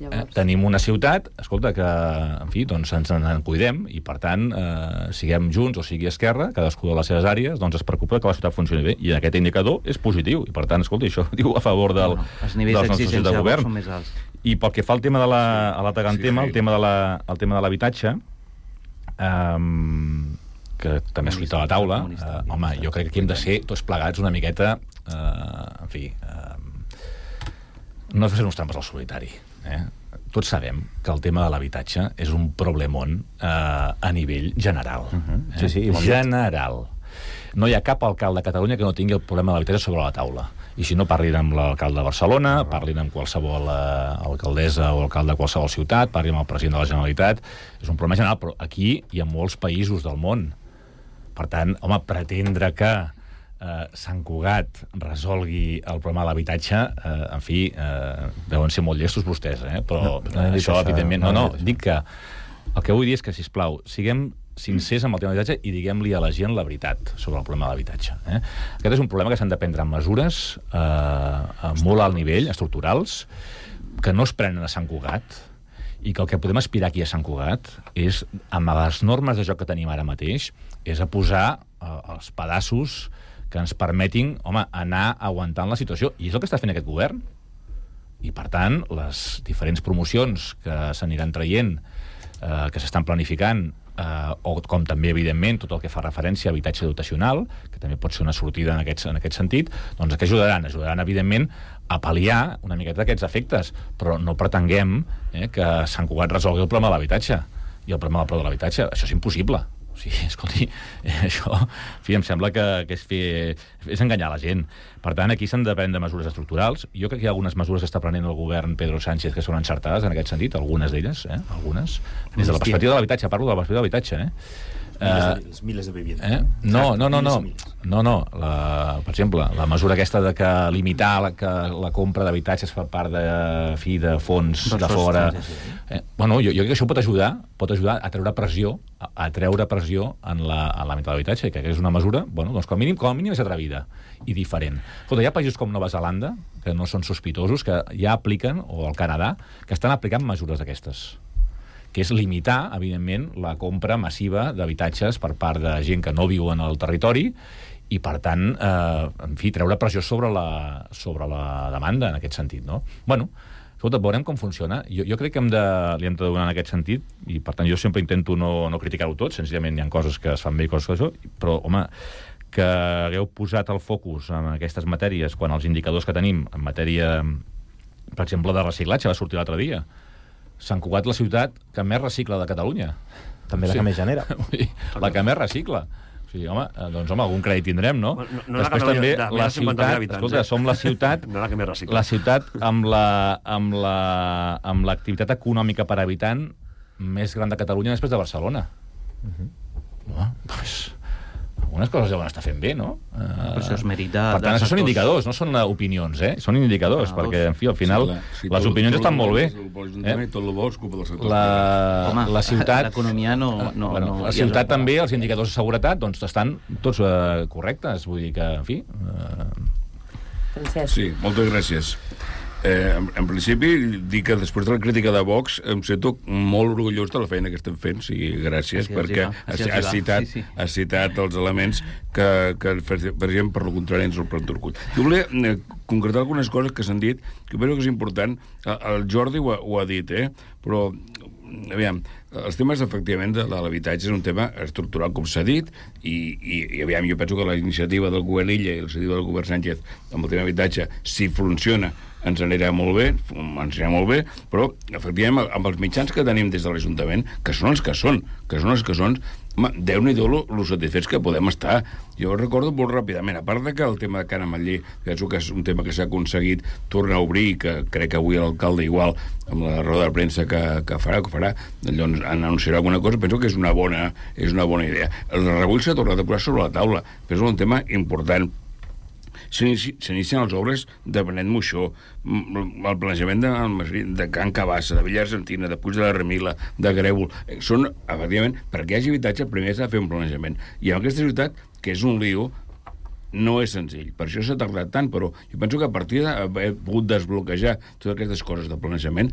eh, tenim una ciutat, escolta, que en fi, doncs ens en cuidem i per tant, eh, siguem Junts o sigui Esquerra, cadascú de les seves àrees, doncs es preocupa que la ciutat funcioni bé i aquest indicador és positiu i per tant, escolta, això diu a favor del, no, els nivells d'exigència de govern són més alts. I pel que fa al tema de la, a l'altre gran sí, tema, el tema de la, el tema de l'habitatge, um, que també es fruita a la taula, uh, home, jo crec que aquí hem de ser tots plegats una miqueta, uh, en fi, uh, no fer uns trampes al solitari. Eh? Tots sabem que el tema de l'habitatge és un problemón uh, a nivell general. Uh-huh. eh? Sí, sí, general. No hi ha cap alcalde de Catalunya que no tingui el problema de l'habitatge sobre la taula. I si no, parlin amb l'alcalde de Barcelona, parlin amb qualsevol uh, alcaldessa o alcalde de qualsevol ciutat, parlin amb el president de la Generalitat. És un problema general, però aquí hi ha molts països del món. Per tant, home, pretendre que eh, Sant Cugat resolgui el problema de l'habitatge, eh, en fi, eh, deuen ser molt llestos vostès, eh? Però no, no això, evidentment... No, no, dic que el que vull dir és que, sisplau, siguem sincers amb el tema de l'habitatge i diguem-li a la gent la veritat sobre el problema de l'habitatge. Eh? Aquest és un problema que s'han de prendre mesures eh, molt alt nivell, estructurals, que no es prenen a Sant Cugat, i que el que podem aspirar aquí a Sant Cugat és, amb les normes de joc que tenim ara mateix, és a posar eh, els pedaços que ens permetin, home, anar aguantant la situació. I és el que està fent aquest govern. I, per tant, les diferents promocions que s'aniran traient, eh, que s'estan planificant, eh, o com també, evidentment, tot el que fa referència a habitatge dotacional, que també pot ser una sortida en aquest, en aquest sentit, doncs que ajudaran? Ajudaran, evidentment, a pal·liar una miqueta d'aquests efectes, però no pretenguem eh, que Sant Cugat resolgui el problema de l'habitatge i el problema del preu de l'habitatge. Això és impossible. O sigui, escolti, eh, això, en fi, em sembla que, que és, fer, és enganyar la gent. Per tant, aquí s'han de prendre mesures estructurals. Jo crec que hi ha algunes mesures que està prenent el govern Pedro Sánchez que són encertades en aquest sentit, algunes d'elles, eh? algunes. Des de la perspectiva de l'habitatge, parlo de la perspectiva de l'habitatge, eh? Miles de, miles de viviendes. Eh? No, no, no, no. No, no. La, per exemple, la mesura aquesta de que limitar la, que la compra d'habitatges per part de, fi, de fons de fora... Eh? Bueno, jo, jo crec que això pot ajudar, pot ajudar a treure pressió, a, a treure pressió en la, en l'àmbit de l'habitatge, que és una mesura, bueno, doncs com a mínim, com a mínim és atrevida i diferent. Escolta, hi ha països com Nova Zelanda, que no són sospitosos, que ja apliquen, o el Canadà, que estan aplicant mesures d'aquestes, que és limitar, evidentment, la compra massiva d'habitatges per part de gent que no viu en el territori i, per tant, eh, en fi, treure pressió sobre la, sobre la demanda en aquest sentit, no? Bueno, escolta, veurem com funciona. Jo, jo crec que hem de, li hem de donar en aquest sentit i, per tant, jo sempre intento no, no criticar-ho tot, senzillament hi ha coses que es fan bé i coses que això, però, home, que hagueu posat el focus en aquestes matèries quan els indicadors que tenim en matèria, per exemple, de reciclatge, va sortir l'altre dia. Sant Cugat, la ciutat que més recicla de Catalunya. també la Sí. que més genera. La que més recicla. O sigui, home, doncs, home, algun crèdit tindrem, no? No, no la Després que també, de- de la més de cinquanta mil ciutat, habitants, escolta, eh? som la ciutat, No la que més recicla. la ciutat amb la amb la amb l'activitat econòmica per habitant més gran de Catalunya després de Barcelona. Uh-huh. No, doncs, algunes coses deuen estar fent bé, no? Uh, això és mèrit de- Per tant, dels això són actors. indicadors, no són opinions, eh? Són indicadors, Ah, perquè, en fi, al final, Sí, la- si les tot- opinions tot estan el molt bo bé. és el bo de l'Ajuntament, tot el bo és culpa del sector. La, Home, la ciutat... l'economia no- no- bueno, no- la ciutat també, els indicadors de seguretat, doncs estan tots eh, correctes. Vull dir que, en fi... Francesc. Sí, moltes gràcies. Eh, en, en principi, dic que després de la crítica de Vox em sento molt orgullós de la feina que estem fent, sí, gràcies, Així els perquè hi va, així els hi has va. citat, Sí, sí. has citat els elements que, que per exemple, per lo contrari, ens el plantó orgull. Jo volia eh, concretar algunes coses que s'han dit, que penso que és important. El, el Jordi ho ha, ho ha dit, eh? Però, aviam, els temes, efectivament, de, de l'habitatge és un tema estructural, com s'ha dit, i, i, i aviam, jo penso que la iniciativa del govern Illa i la iniciativa del govern Sánchez amb el tema d'habitatge, si funciona, ens anirà molt bé, ens anirà molt bé, però, efectivament, amb els mitjans que tenim des de l'Ajuntament, que són els que són, que són els que són, home, Déu-n'hi-do lo, lo satisfets que podem estar. Jo recordo molt ràpidament, a part de que el tema de Can Ametller, penso que és un tema que s'ha aconseguit tornar a obrir, que crec que avui l'alcalde igual, amb la roda de premsa que, que farà, que farà, doncs anunciarà alguna cosa, penso que és una bona, és una bona idea. El rebull s'ha tornat a posar sobre la taula, però és un tema important. S'inicien les obres de Benet Moixó, el planejament de, de Can Cabassa, de Villa Argentina, de Puig de la Remila, de Grèvol. Són, efectivament, perquè hi hagi habitatge, primer s'ha de fer un planejament. I en aquesta ciutat, que és un lío, no és senzill. Per això s'ha tardat tant, però jo penso que a partir d'haver pogut desbloquejar totes aquestes coses de planejament,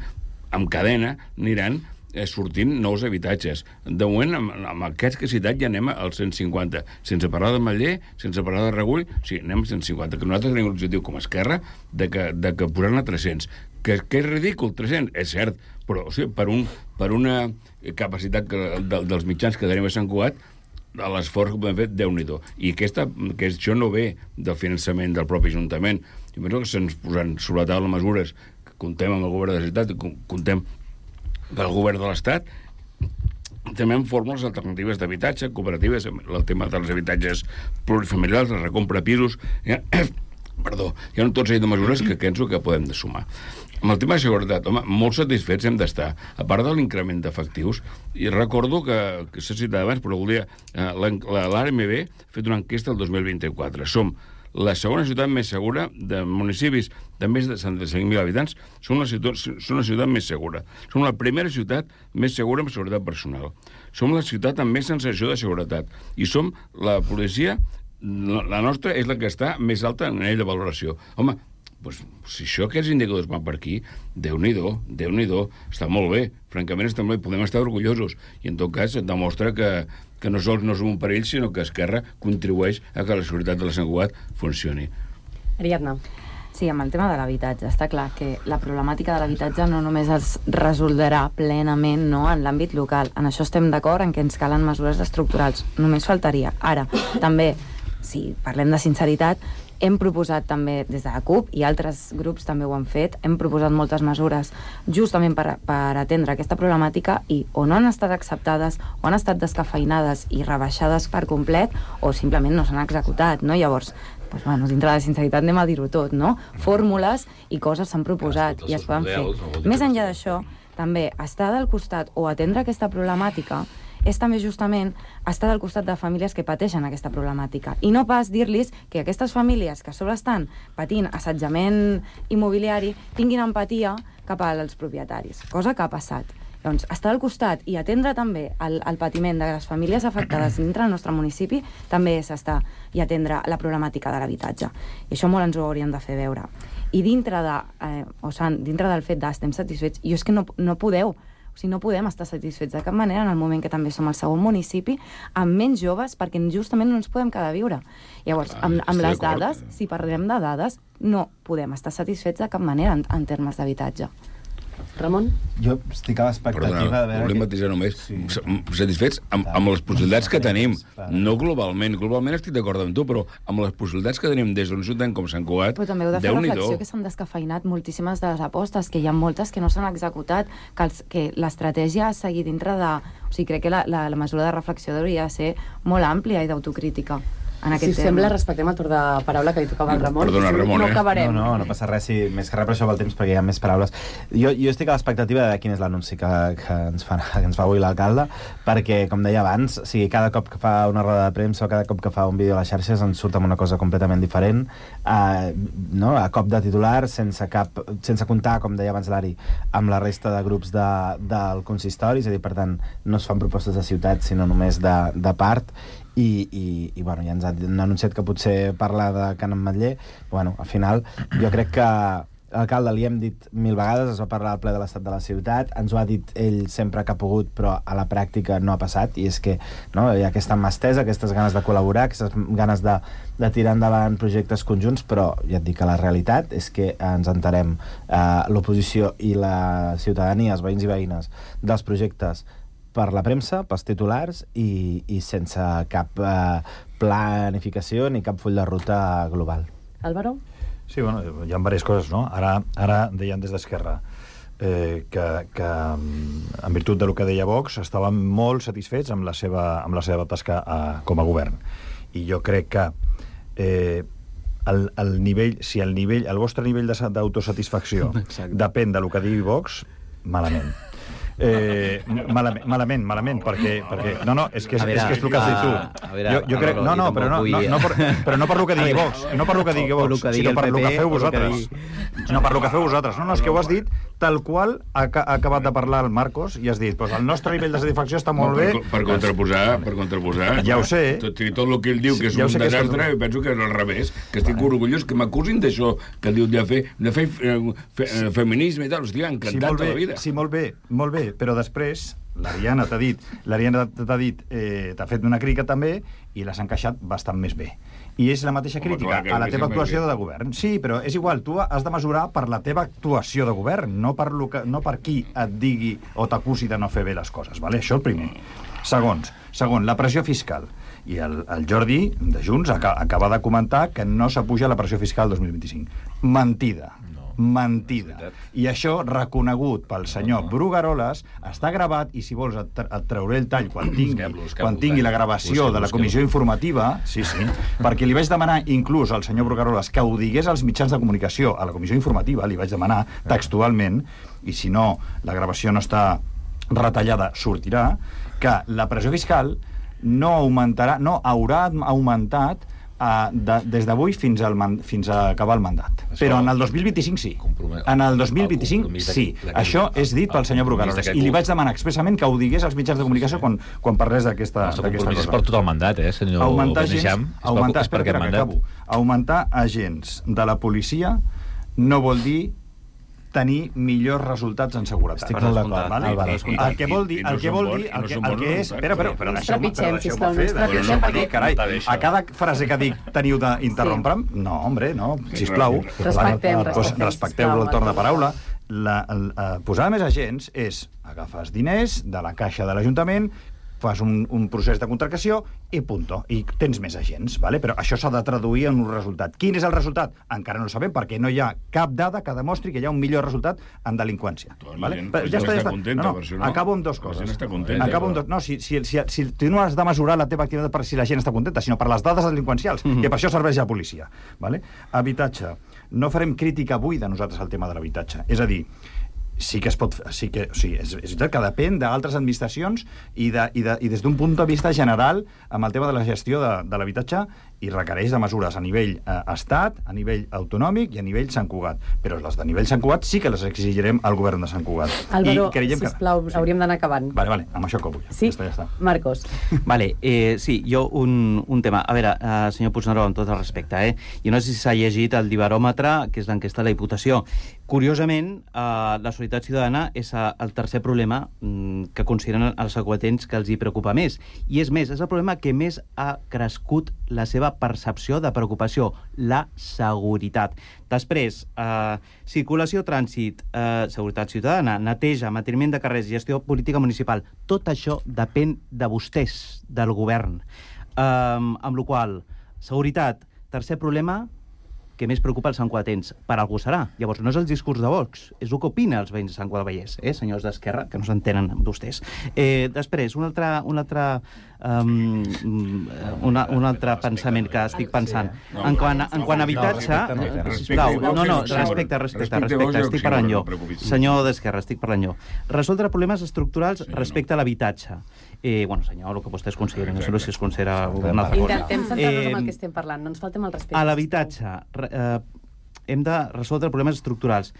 amb cadena aniran eh, sortint nous habitatges. De moment, amb, amb aquests que he citat, ja anem als cent cinquanta. Sense parlar de Matller, sense parlar de Regull, sí, anem als cent cinquanta. Que nosaltres tenim l'objectiu com a Esquerra de que, de que posar-ne tres-cents. Que, que és ridícul, tres-cents, és cert, però o sigui, per, un, per una capacitat que, de, dels mitjans que tenim a Sant Cugat, l'esforç que podem fer, Déu-n'hi-do. I aquesta, que això no ve del finançament del propi Ajuntament. Jo penso que se'ns posen sobre la taula mesures que contem amb el govern de la ciutat, que contem pel govern de l'Estat, també amb fórmules alternatives d'habitatge, cooperatives, el tema dels habitatges plurifamiliars, la recompra de pisos, ja, perdó, hi ha tot seguit de mesures que penso que podem de sumar. Amb el tema de seguretat, home, molt satisfets hem d'estar. A part de l'increment d'efectius, i recordo que, que s'ha citat abans, però volia, eh, l'A R M B ha fet una enquesta el dos mil vint-i-quatre. Som la segona ciutat més segura de municipis de més de setanta-cinc mil habitants, som la ciutat, som la ciutat més segura. Som la primera ciutat més segura amb seguretat personal. Som la ciutat amb més sensació de seguretat. I som la policia, la, la nostra és la que està més alta en nivell de valoració. Home, doncs, si això, aquests indicadors van per aquí, Déu-n'hi-do, Déu-n'hi-do, està molt bé, francament està molt bé, podem estar orgullosos, i en tot cas et demostra que, que no sols no som un perill, sinó que Esquerra contribueix a que la seguretat de la Sant Cugat funcioni. Ariadna. Sí, amb el tema de l'habitatge, està clar que la problemàtica de l'habitatge no només es resoldrà plenament, no, en l'àmbit local. En això estem d'acord, en què ens calen mesures estructurals. Només faltaria. Ara, també, si parlem de sinceritat, hem proposat també des de la CUP, i altres grups també ho han fet, hem proposat moltes mesures justament per, per atendre aquesta problemàtica, i o no han estat acceptades, o han estat descafeinades i rebaixades per complet, o simplement no s'han executat, no? Llavors, doncs, bueno, dintre de la sinceritat anem a dir-ho tot, no? Fórmules i coses s'han proposat i es poden fer. Més enllà d'això, també estar del costat o atendre aquesta problemàtica és també justament estar del costat de famílies que pateixen aquesta problemàtica. I no pas dir-los que aquestes famílies que a sobre estan patint assetjament immobiliari tinguin empatia cap als propietaris, cosa que ha passat. Doncs estar al costat i atendre també el, el patiment de les famílies afectades dintre del nostre municipi també és estar i atendre la problemàtica de l'habitatge. I això molt ens ho hauríem de fer veure. I dintre, de, eh, o sigui, dintre del fet d'estem satisfets, jo és que no, no podeu, o sigui, no podem estar satisfets de cap manera en el moment que també som el segon municipi amb menys joves, perquè justament no ens podem quedar a viure. Llavors, amb, amb les dades, si parlem de dades, no podem estar satisfets de cap manera en, en termes d'habitatge. Ramon? Jo estic a l'expectativa Perdona, de veure... volia matisar només. Sí. Satisfets amb, amb les possibilitats que tenim. No globalment. Globalment estic d'acord amb tu, però amb les possibilitats que tenim des d'un ciutat com Sant Cugat, però també heu de fer reflexió que s'han descafeinat moltíssimes de les apostes, que hi ha moltes que no s'han executat, que, els, que l'estratègia ha seguit dintre de... O sigui, crec que la, la, la mesura de reflexió hauria de ser molt àmplia i d'autocrítica. Si us sembla, respectem el torn de paraula que li tocava al Ramon. Perdona, Ramon, no eh? acabarem. No, no, no passa res, sí, més que res per això pel temps, perquè hi ha més paraules. Jo, jo estic a l'expectativa de quin és l'anunci que, que, ens fa, que ens fa avui l'alcalde, perquè, com deia abans, o sigui, cada cop que fa una roda de premsa o cada cop que fa un vídeo a les xarxes ens surt amb una cosa completament diferent, eh, no? A cop de titular, sense, cap, sense comptar, com deia abans l'Ari, amb la resta de grups de, del consistori, és a dir, per tant, no es fan propostes de ciutat, sinó només de, de part, i, i, i bueno, ja ens han anunciat que potser parlar de Can Ametller. Bueno, al final jo crec que l'alcalde li hem dit mil vegades, es va parlar al ple de l'estat de la ciutat, ens ho ha dit ell sempre que ha pogut, però a la pràctica no ha passat, i és que no, hi ha aquesta mà estesa, aquestes ganes de col·laborar, aquestes ganes de, de tirar endavant projectes conjunts, però ja et dic que la realitat és que ens enterem eh, l'oposició i la ciutadania, els veïns i veïnes dels projectes per la premsa, pels titulars i, i sense cap eh, planificació ni cap full de ruta global. Álvaro? Sí, bueno, hi ha diverses coses, no? Ara, ara deien des d'Esquerra eh, que, que, en virtut del que deia Vox, estaven molt satisfets amb la seva, amb la seva tasca a, com a govern. I jo crec que eh, el, el nivell, si el nivell, el vostre nivell d'autosatisfacció depèn del que digui Vox, malament. Eh, malament, malament, malament, perquè, perquè... No, no, és que és, veure, és, que és el que has dit tu. Veure, jo, jo crec... No, no, però no, no, no, per, però no per el que digui Vox, no per el que digui Vox, sinó per el que feu vosaltres. No, per el que feu vosaltres. No, no, és que ho has dit tal qual ha, ha acabat de parlar el Marcos i has dit, pues el nostre nivell de satisfacció està molt bé... Per, per contraposar, per contraposar... Ja ho sé. Tot, tot el que ell diu que és ja un desastre, és... penso que és al revés, que estic orgullós que m'acusin d'això, que diu de fer, de fer fe, feminisme i tal. Hòstia, encantat tota la vida. Sí, molt bé, molt bé, però després l'Ariana t'ha dit, l'Ariana t'ha dit, eh, t'ha fet una crítica també i l'has encaixat bastant més bé. I és la mateixa crítica a la teva actuació de govern. Sí, però és igual, tu has de mesurar per la teva actuació de govern, no per, lo que, no per qui et digui o t'acusi de no fer bé les coses, vale? Això el primer. Segons, segon, la pressió fiscal. I el, el Jordi, de Junts, acaba de comentar que no s'apuja la pressió fiscal dos mil vint-i-cinc. Mentida. Mentida. I això, reconegut pel senyor Brugaroles, està gravat, i si vols et, et trauré el tall quan tingui, quan tingui la gravació de la comissió informativa, sí, sí, perquè li vaig demanar inclús al senyor Brugaroles que ho digués als mitjans de comunicació, a la comissió informativa, li vaig demanar textualment, i si no, la gravació no està retallada, sortirà, que la pressió fiscal no augmentarà, no haurà augmentat Uh, de, des d'avui fins, fins a acabar el mandat. Això, però en el dos mil vint-i-cinc sí. En el dos mil vint-i-cinc sí. Això és dit pel senyor Brugaroles. I li vaig demanar expressament que ho digués als mitjans de comunicació quan, quan parlés d'aquesta cosa. El compromís és per tot el mandat, eh, senyor Beneixam? Augmentar, espera, espera, que acabo. Augmentar agents de la policia no vol dir tenir millors resultats en seguretat. Estic molt d'acord, vale? El que vol dir, el que vol dir, el que, el que és... Espera, però, però deixeu-me fer, deixeu-me dir, carai, a cada frase que dic teniu d'interrompre'm? No, hombre, no, sisplau. Respectem, respectem. Respecteu el torn de paraula. La, la, posar més agents és agafar diners de la caixa de l'Ajuntament, fas un, un procés de contractació i punto. I tens més agents, vale? Però això s'ha de traduir en un resultat. Quin és el resultat? Encara no el sabem perquè no hi ha cap dada que demostri que hi ha un millor resultat en delinqüència. Vale? Però ja està, ja està. No, no, no. Acabo amb dues coses. Està contenta, Acabo amb dos... No, si, si, si, si tu no has de mesurar la teva activitat per si la gent està contenta, sinó per les dades delinqüencials, mm-hmm. que per això serveix la policia. Vale? Habitatge. No farem crítica avui de nosaltres al tema de l'habitatge. És a dir, sí que es pot... Sí que, o sigui, és, és veritat que depèn d'altres administracions i, de, i, de, i des d'un punt de vista general amb el tema de la gestió de, de l'habitatge i requereix de mesures a nivell eh, estat, a nivell autonòmic i a nivell Sant Cugat. Però les de nivell Sant Cugat sí que les exigirem al govern de Sant Cugat. Álvaro, sisplau, que... hauríem d'anar acabant. Vale, vale, amb això acabo. Ja. Sí? Ja està, ja està. Marcos. Vale, eh, sí, jo un, un tema. A veure, eh, senyor Puigneró, amb tot el respecte, eh? Jo no sé si s'ha llegit el Dibaròmetre, que és l'enquesta de la Diputació. Curiosament, eh, la solidaritat ciutadana és el tercer problema mm, que consideren els santcugatens que els hi preocupa més. I és més, és el problema que més ha crescut la seva de percepció, de preocupació, la seguretat. Després, eh, circulació, trànsit, eh, seguretat ciutadana, neteja, manteniment de carrers, gestió política municipal. Tot això depèn de vostès, del govern. Eh, amb la qual cosa, seguretat, tercer problema, que més preocupa el Sant Cugatencs. Per algú serà. Llavors, no és el discurs de Vox, és el que opina els veïns de Sant Cugat del Vallès, eh, senyors d'Esquerra, que no s'entenen amb vostès. Eh, després, un altre, un altre, um, una, un altre pensament que estic pensant. En quant a, en quant a habitatge... Sisplau, no, no, respecte, respecte, respecte, estic parlant jo. Senyor d'Esquerra, estic parlant jo. Resoldre problemes estructurals respecte a l'habitatge. Eh, bueno, senyor, el que vostès consideren, no sé si es considera una altra cosa. Intentem centrar-nos en el que estem parlant, no ens faltem el respecte. A l'habitatge, eh, hem de resoldre problemes estructurals.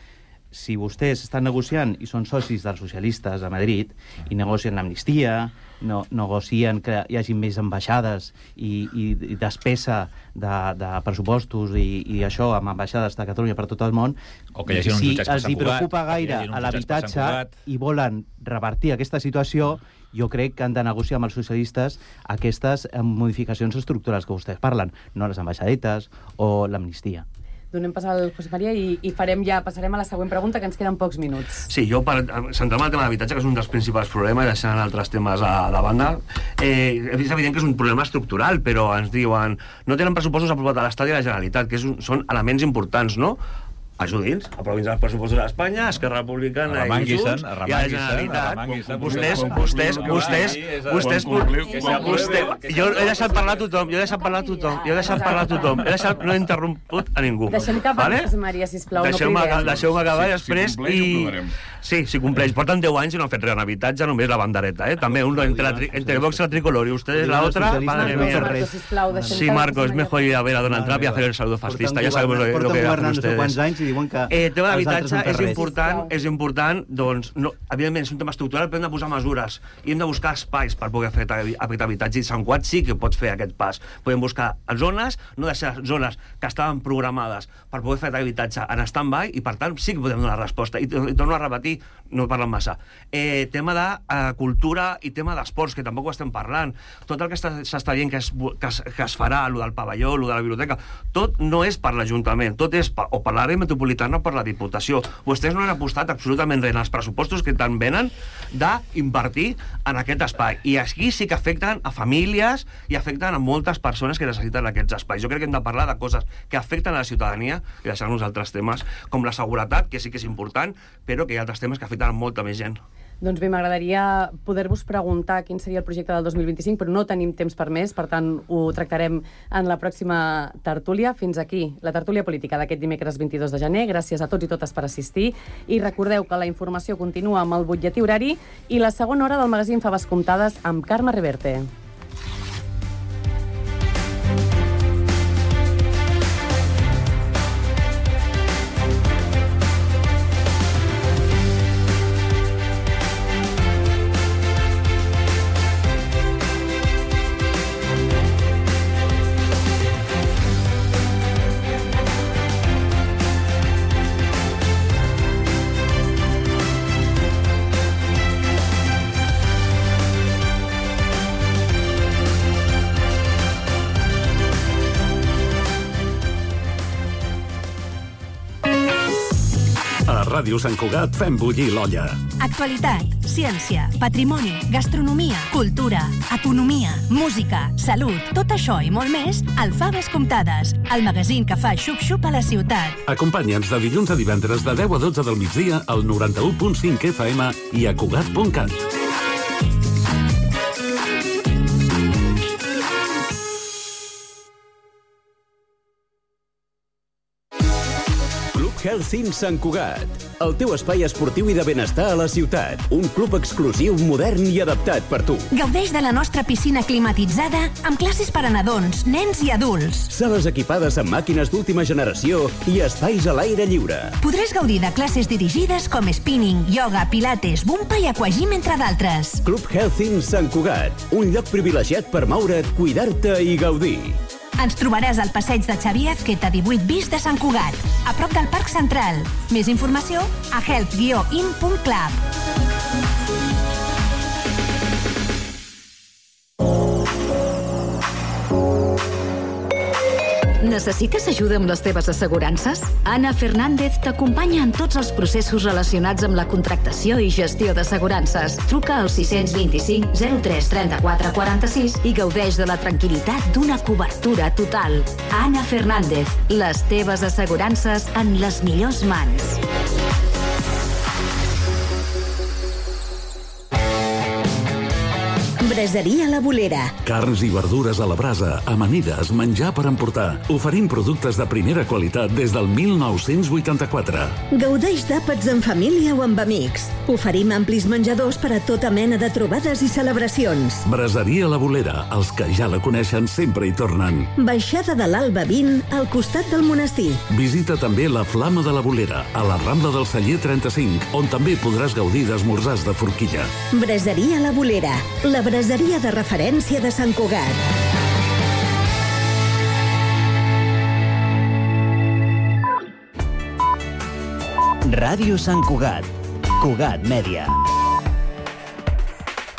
Si vostès estan negociant i són socis dels socialistes a Madrid i negocien l'amnistia, no, negocien que hi hagi més ambaixades i, i, i despesa de, de pressupostos i, i això amb ambaixades de Catalunya per tot el món, o que hi hagi uns si jutjats per els Sant hi preocupa gaire a l'habitatge i volen revertir aquesta situació, jo crec que han de negociar amb els socialistes aquestes modificacions estructurals que vostès parlen, no les ambaixadetes o l'amnistia. Donem pas al José María i, i farem ja, passarem a la següent pregunta, que ens queden pocs minuts. Sí, jo, per centrar-me en el tema de l'habitatge, que és un dels principals problemes, deixant altres temes a, a banda, eh, és evident que és un problema estructural, però ens diuen no tenen pressupostos aprovats a l'Estat i a la Generalitat, que és un, són elements importants, no? Ajudi'ns, aprovin els pressupostos d'Espanya, Esquerra Republicana i Junts, i a la Generalitat. Vostès, vostès, vostès, vostès, vostès, jo he deixat parlar a tothom, jo he deixat parlar a tothom, jo he deixat parlar a tothom, he deixat, no he interromput a ningú. Deixem que parli, José María, sisplau, no cridem. Deixeu-me acabar després i... Sí, si compleix. Porten deu anys i no han fet res en habitatge, només la bandereta, eh? També uno entre Vox y la tricolor y ustedes la otra, madre mía. Sí, Marcos, es mejor ir a ver a Donald Trump y hacer el saludo fascista, ya sabemos lo que hacen ustedes. Eh, tema d'habitatge és important, és important, doncs, no, evidentment és un tema estructural, però hem de posar mesures i hem de buscar espais per poder fer aquest habitatge, i Sant Cugat sí que pots fer aquest pas. Podem buscar zones, no deixar zones que estaven programades per poder fer aquest habitatge en stand-by, i per tant sí que podem donar resposta. I, i torno a repetir, no parlen massa. Eh, tema de eh, cultura i tema d'esports, que tampoc ho estem parlant. Tot el que s'està dient que es, que, es, que es farà, el del pavelló, el de la biblioteca, tot no és per l'Ajuntament, tot és per, o per l'àrea metropolitana o per la Diputació. Vostès no han apostat absolutament res en els pressupostos que tant venen d'invertir en aquest espai. I aquí sí que afecten a famílies i afecten a moltes persones que necessiten aquests espais. Jo crec que hem de parlar de coses que afecten a la ciutadania i deixar-nos altres temes, com la seguretat, que sí que és important, però que hi ha altres temes que afecten a molta més gent. Doncs bé, m'agradaria poder-vos preguntar quin seria el projecte del dos mil vint-i-cinc, però no tenim temps per més, per tant, ho tractarem en la pròxima tertúlia. Fins aquí, la tertúlia política d'aquest dimecres vint-i-dos de gener. Gràcies a tots i totes per assistir. I recordeu que la informació continua amb el butlletí horari i la segona hora del magazín Faves Comptades amb Carme Reverte. Ràdio Sant Cugat fem bullir l'olla. Actualitat, ciència, patrimoni, gastronomia, cultura, economia, música, salut, tot això i molt més al Faves Comptades, el magazín que fa xup-xup a la ciutat. Acompanya'ns de dilluns a divendres de deu a dotze del migdia al noranta-u punt cinc F M i a Cugat punt cat. Healthing Sant Cugat, el teu espai esportiu i de benestar a la ciutat. Un club exclusiu, modern i adaptat per tu. Gaudeix de la nostra piscina climatitzada amb classes per a nadons, nens i adults. Sales equipades amb màquines d'última generació i espais a l'aire lliure. Podràs gaudir de classes dirigides com spinning, yoga, pilates, bumpa i aquagym, entre d'altres. Club Healthing Sant Cugat, un lloc privilegiat per moure't, cuidar-te i gaudir. Ens trobaràs al passeig de Xavier Azqueta divuit bis de Sant Cugat, a prop del Parc Central. Més informació a health guió in punt club. Necessites ajuda amb les teves assegurances? Ana Fernández t'acompanya en tots els processos relacionats amb la contractació i gestió d'assegurances. Truca al sis dos cinc zero tres trenta-quatre quaranta-sis i gaudeix de la tranquil·litat d'una cobertura total. Ana Fernández, les teves assegurances en les millors mans. Braseria La Bolera. Carns i verdures a la brasa, amanides, menjar per emportar. Oferim productes de primera qualitat des del mil nou-cents vuitanta-quatre. Gaudeix d'àpats en família o amb amics. Oferim amplis menjadors per a tota mena de trobades i celebracions. Braseria La Bolera. Els que ja la coneixen sempre hi tornen. Baixada de l'Alba vint, al costat del monestir. Visita també la Flama de la Bolera, a la Rambla del Celler trenta-cinc, on també podràs gaudir d'esmorzars de forquilla. Braseria La Bolera. La braseria de referència de Sant Cugat. Ràdio Sant Cugat. Cugat Mèdia.